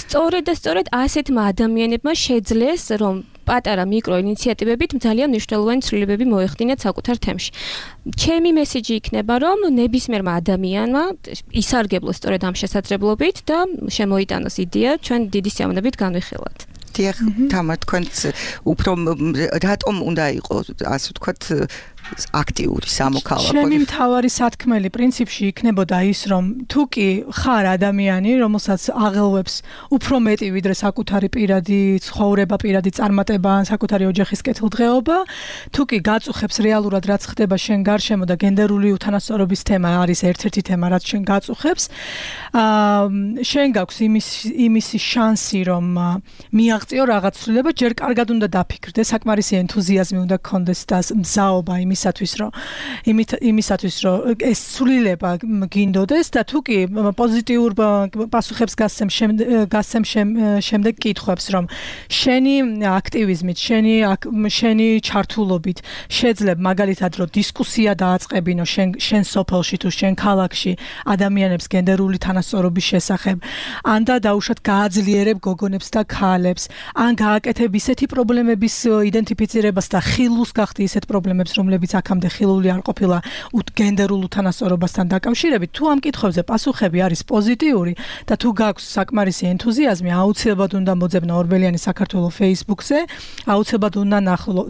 სწორედ და სწორედ ასეთმა ადამიანებმა შეძლეს, რომ პატარა მიკრო ინიციატივებით ძალიან მნიშვნელოვანი ცვლილებები მოეხდინათ საკუთარ თემში. ჩემი მესიჯი იქნება, რომ ნებისმიერმა ადამიანმა ისარგებლოს სწორედ ამ შესაძლებლობით და შემოიტანოს იდეა ჩვენ დიდი სიამოვნებით განვიხილოთ.
დიახ, თამარ, თქვენც უფრო რატომ უნდა იყოს, ასე ვთქვათ, აქტიური სამოქალაქო.
ჩემი მთავარი სათქმელი პრინციპში იქნებოდა ის, რომ თუ კი ხარ ადამიანი, რომელსაც აღელვებს უფრო მეტი ვიდრე საკუთარი პირადი ცხოვრება, პირადი წარმატება, საკუთარი ოჯახის კეთილდღეობა, თუ კი გაწუხებს რეალურად რაც ხდება შენ გარშემო და გენდერული უთანასწორობის თემა არის ერთ-ერთი თემა, რაც შენ გაწუხებს, აა შენ გაქვს იმის იმისი შანსი, რომ მიაღწიო რაღაც ცვლილება, ჯერ კარგად უნდა დაფიქრდე, საკმარისი ენთუზიაზმი უნდა გქონდეს და მზაობა იმის იმისათვის რომ იმისათვის რომ ეს ცვლილება გინდოდეს და თუ კი პოზიტიურ პასუხებს გასცემ გასცემ შემდეგ კითხვებს რომ შენი აქტივიზმით, შენი შენი ჩართულობით შეძლებ მაგალითად რომ დისკუსია დააწყებინო შენ შენ სოფელში თუ შენ ქალაქში ადამიანებს გენდერული თანასწორობის შესახებ, ან და დაუშვათ გააძლიერებ გოგონებს და ქალებს, ან გააკეთებ ისეთი პრობლემების იდენტიფიცირებას და ხილულს გახდი ისეთ პრობლემებს, რომლებიც აქამდე ხილული არ ყოფილა გენდერულ უთანასწორობასთან დაკავშირებით. თუ ამ კითხვებზე პასუხები არის პოზიტიური და თუ გაქვს საკმარისი ენთუზიაზმი, აუცილებლად უნდა მოძებნო ორბელიანი საქართველოს Facebook-ზე, აუცილებლად უნდა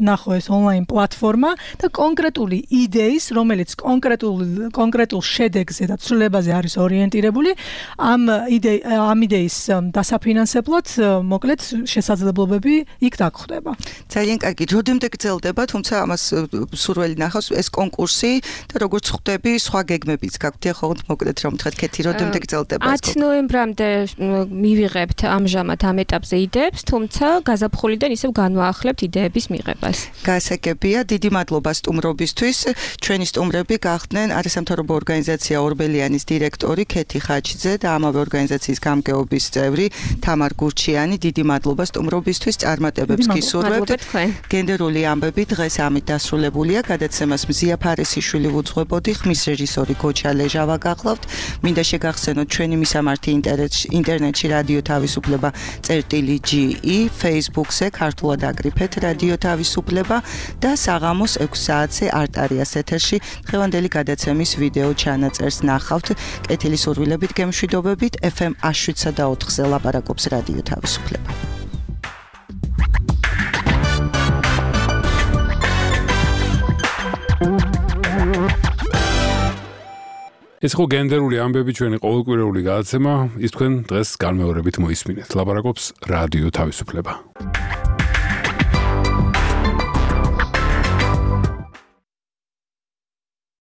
ნახო ეს ონლაინ პლატფორმა და კონკრეტული იდეის, რომელიც კონკრეტულ კონკრეტულ შედეგზე და ცვლილებაზე არის ორიენტირებული, ამ იდეი ამ იდეის დასაფინანსებლად მოკლედ შესაძლებლობები იქ დაგხვდება.
ძალიან კარგი. როდემდე გრძელდება, თუმცა ამას სულ სურველი ნახავს ეს კონკურსი და როგორც ხვდები, სხვა გეგმებიც გაქვთ, ხოლმე მოკლედ რომ თქვათ ქეთი როდემდე გრძელდება ეს
ათი ნოემბრამდე მივიღებთ ამჟამად ამ ეტაპზე იდეებს, თუმცა გაზაფხულიდან ისევ განვაახლებთ იდეების მიღებას.
გასაგებია, დიდი მადლობა სტუმრობისთვის. ჩვენი სტუმრები გახდნენ არასამთავრობო ორგანიზაცია ორბელიანის დირექტორი ქეთი ხაჩიძე და ამავე ორგანიზაციის გამგეობის წევრი თამარ გურჩიანი. დიდი მადლობა სტუმრობისთვის, წარმატებებს გისურვებთ. გენდერული ამბები დღეს ამით დასრულებულია. გადაცემას მზია ფარესიშვილი უძღვებოდი, ხმის რეჟისორი გოჩა ლეჟავა გახლავთ. მინდა შეგახსენოთ ჩვენი მისამართი ინტერნეტში რადიო თავისუფლება წერტილი ჯი ი, Facebook-ზე ქართულად აკრიფეთ რადიო თავისუფლება და საღამოს ექვსი საათზე არტარიას ეთერში დღევანდელი გადაცემის ვიდეო ჩანაწერს ნახავთ. კეთილი სურვილებით, გემშვიდობებით. ეფ ემ ათი შვიდსა და ოთხზე ლაპარაკობს რადიო თავისუფლება.
ეს ხო გენდერული ამბები ჩვენი ყოველკვირეული გადაცემა, ის თქვენ დღეს განმეორებით მოისმინეთ. ლაპარაკობს რადიო თავისუფლება.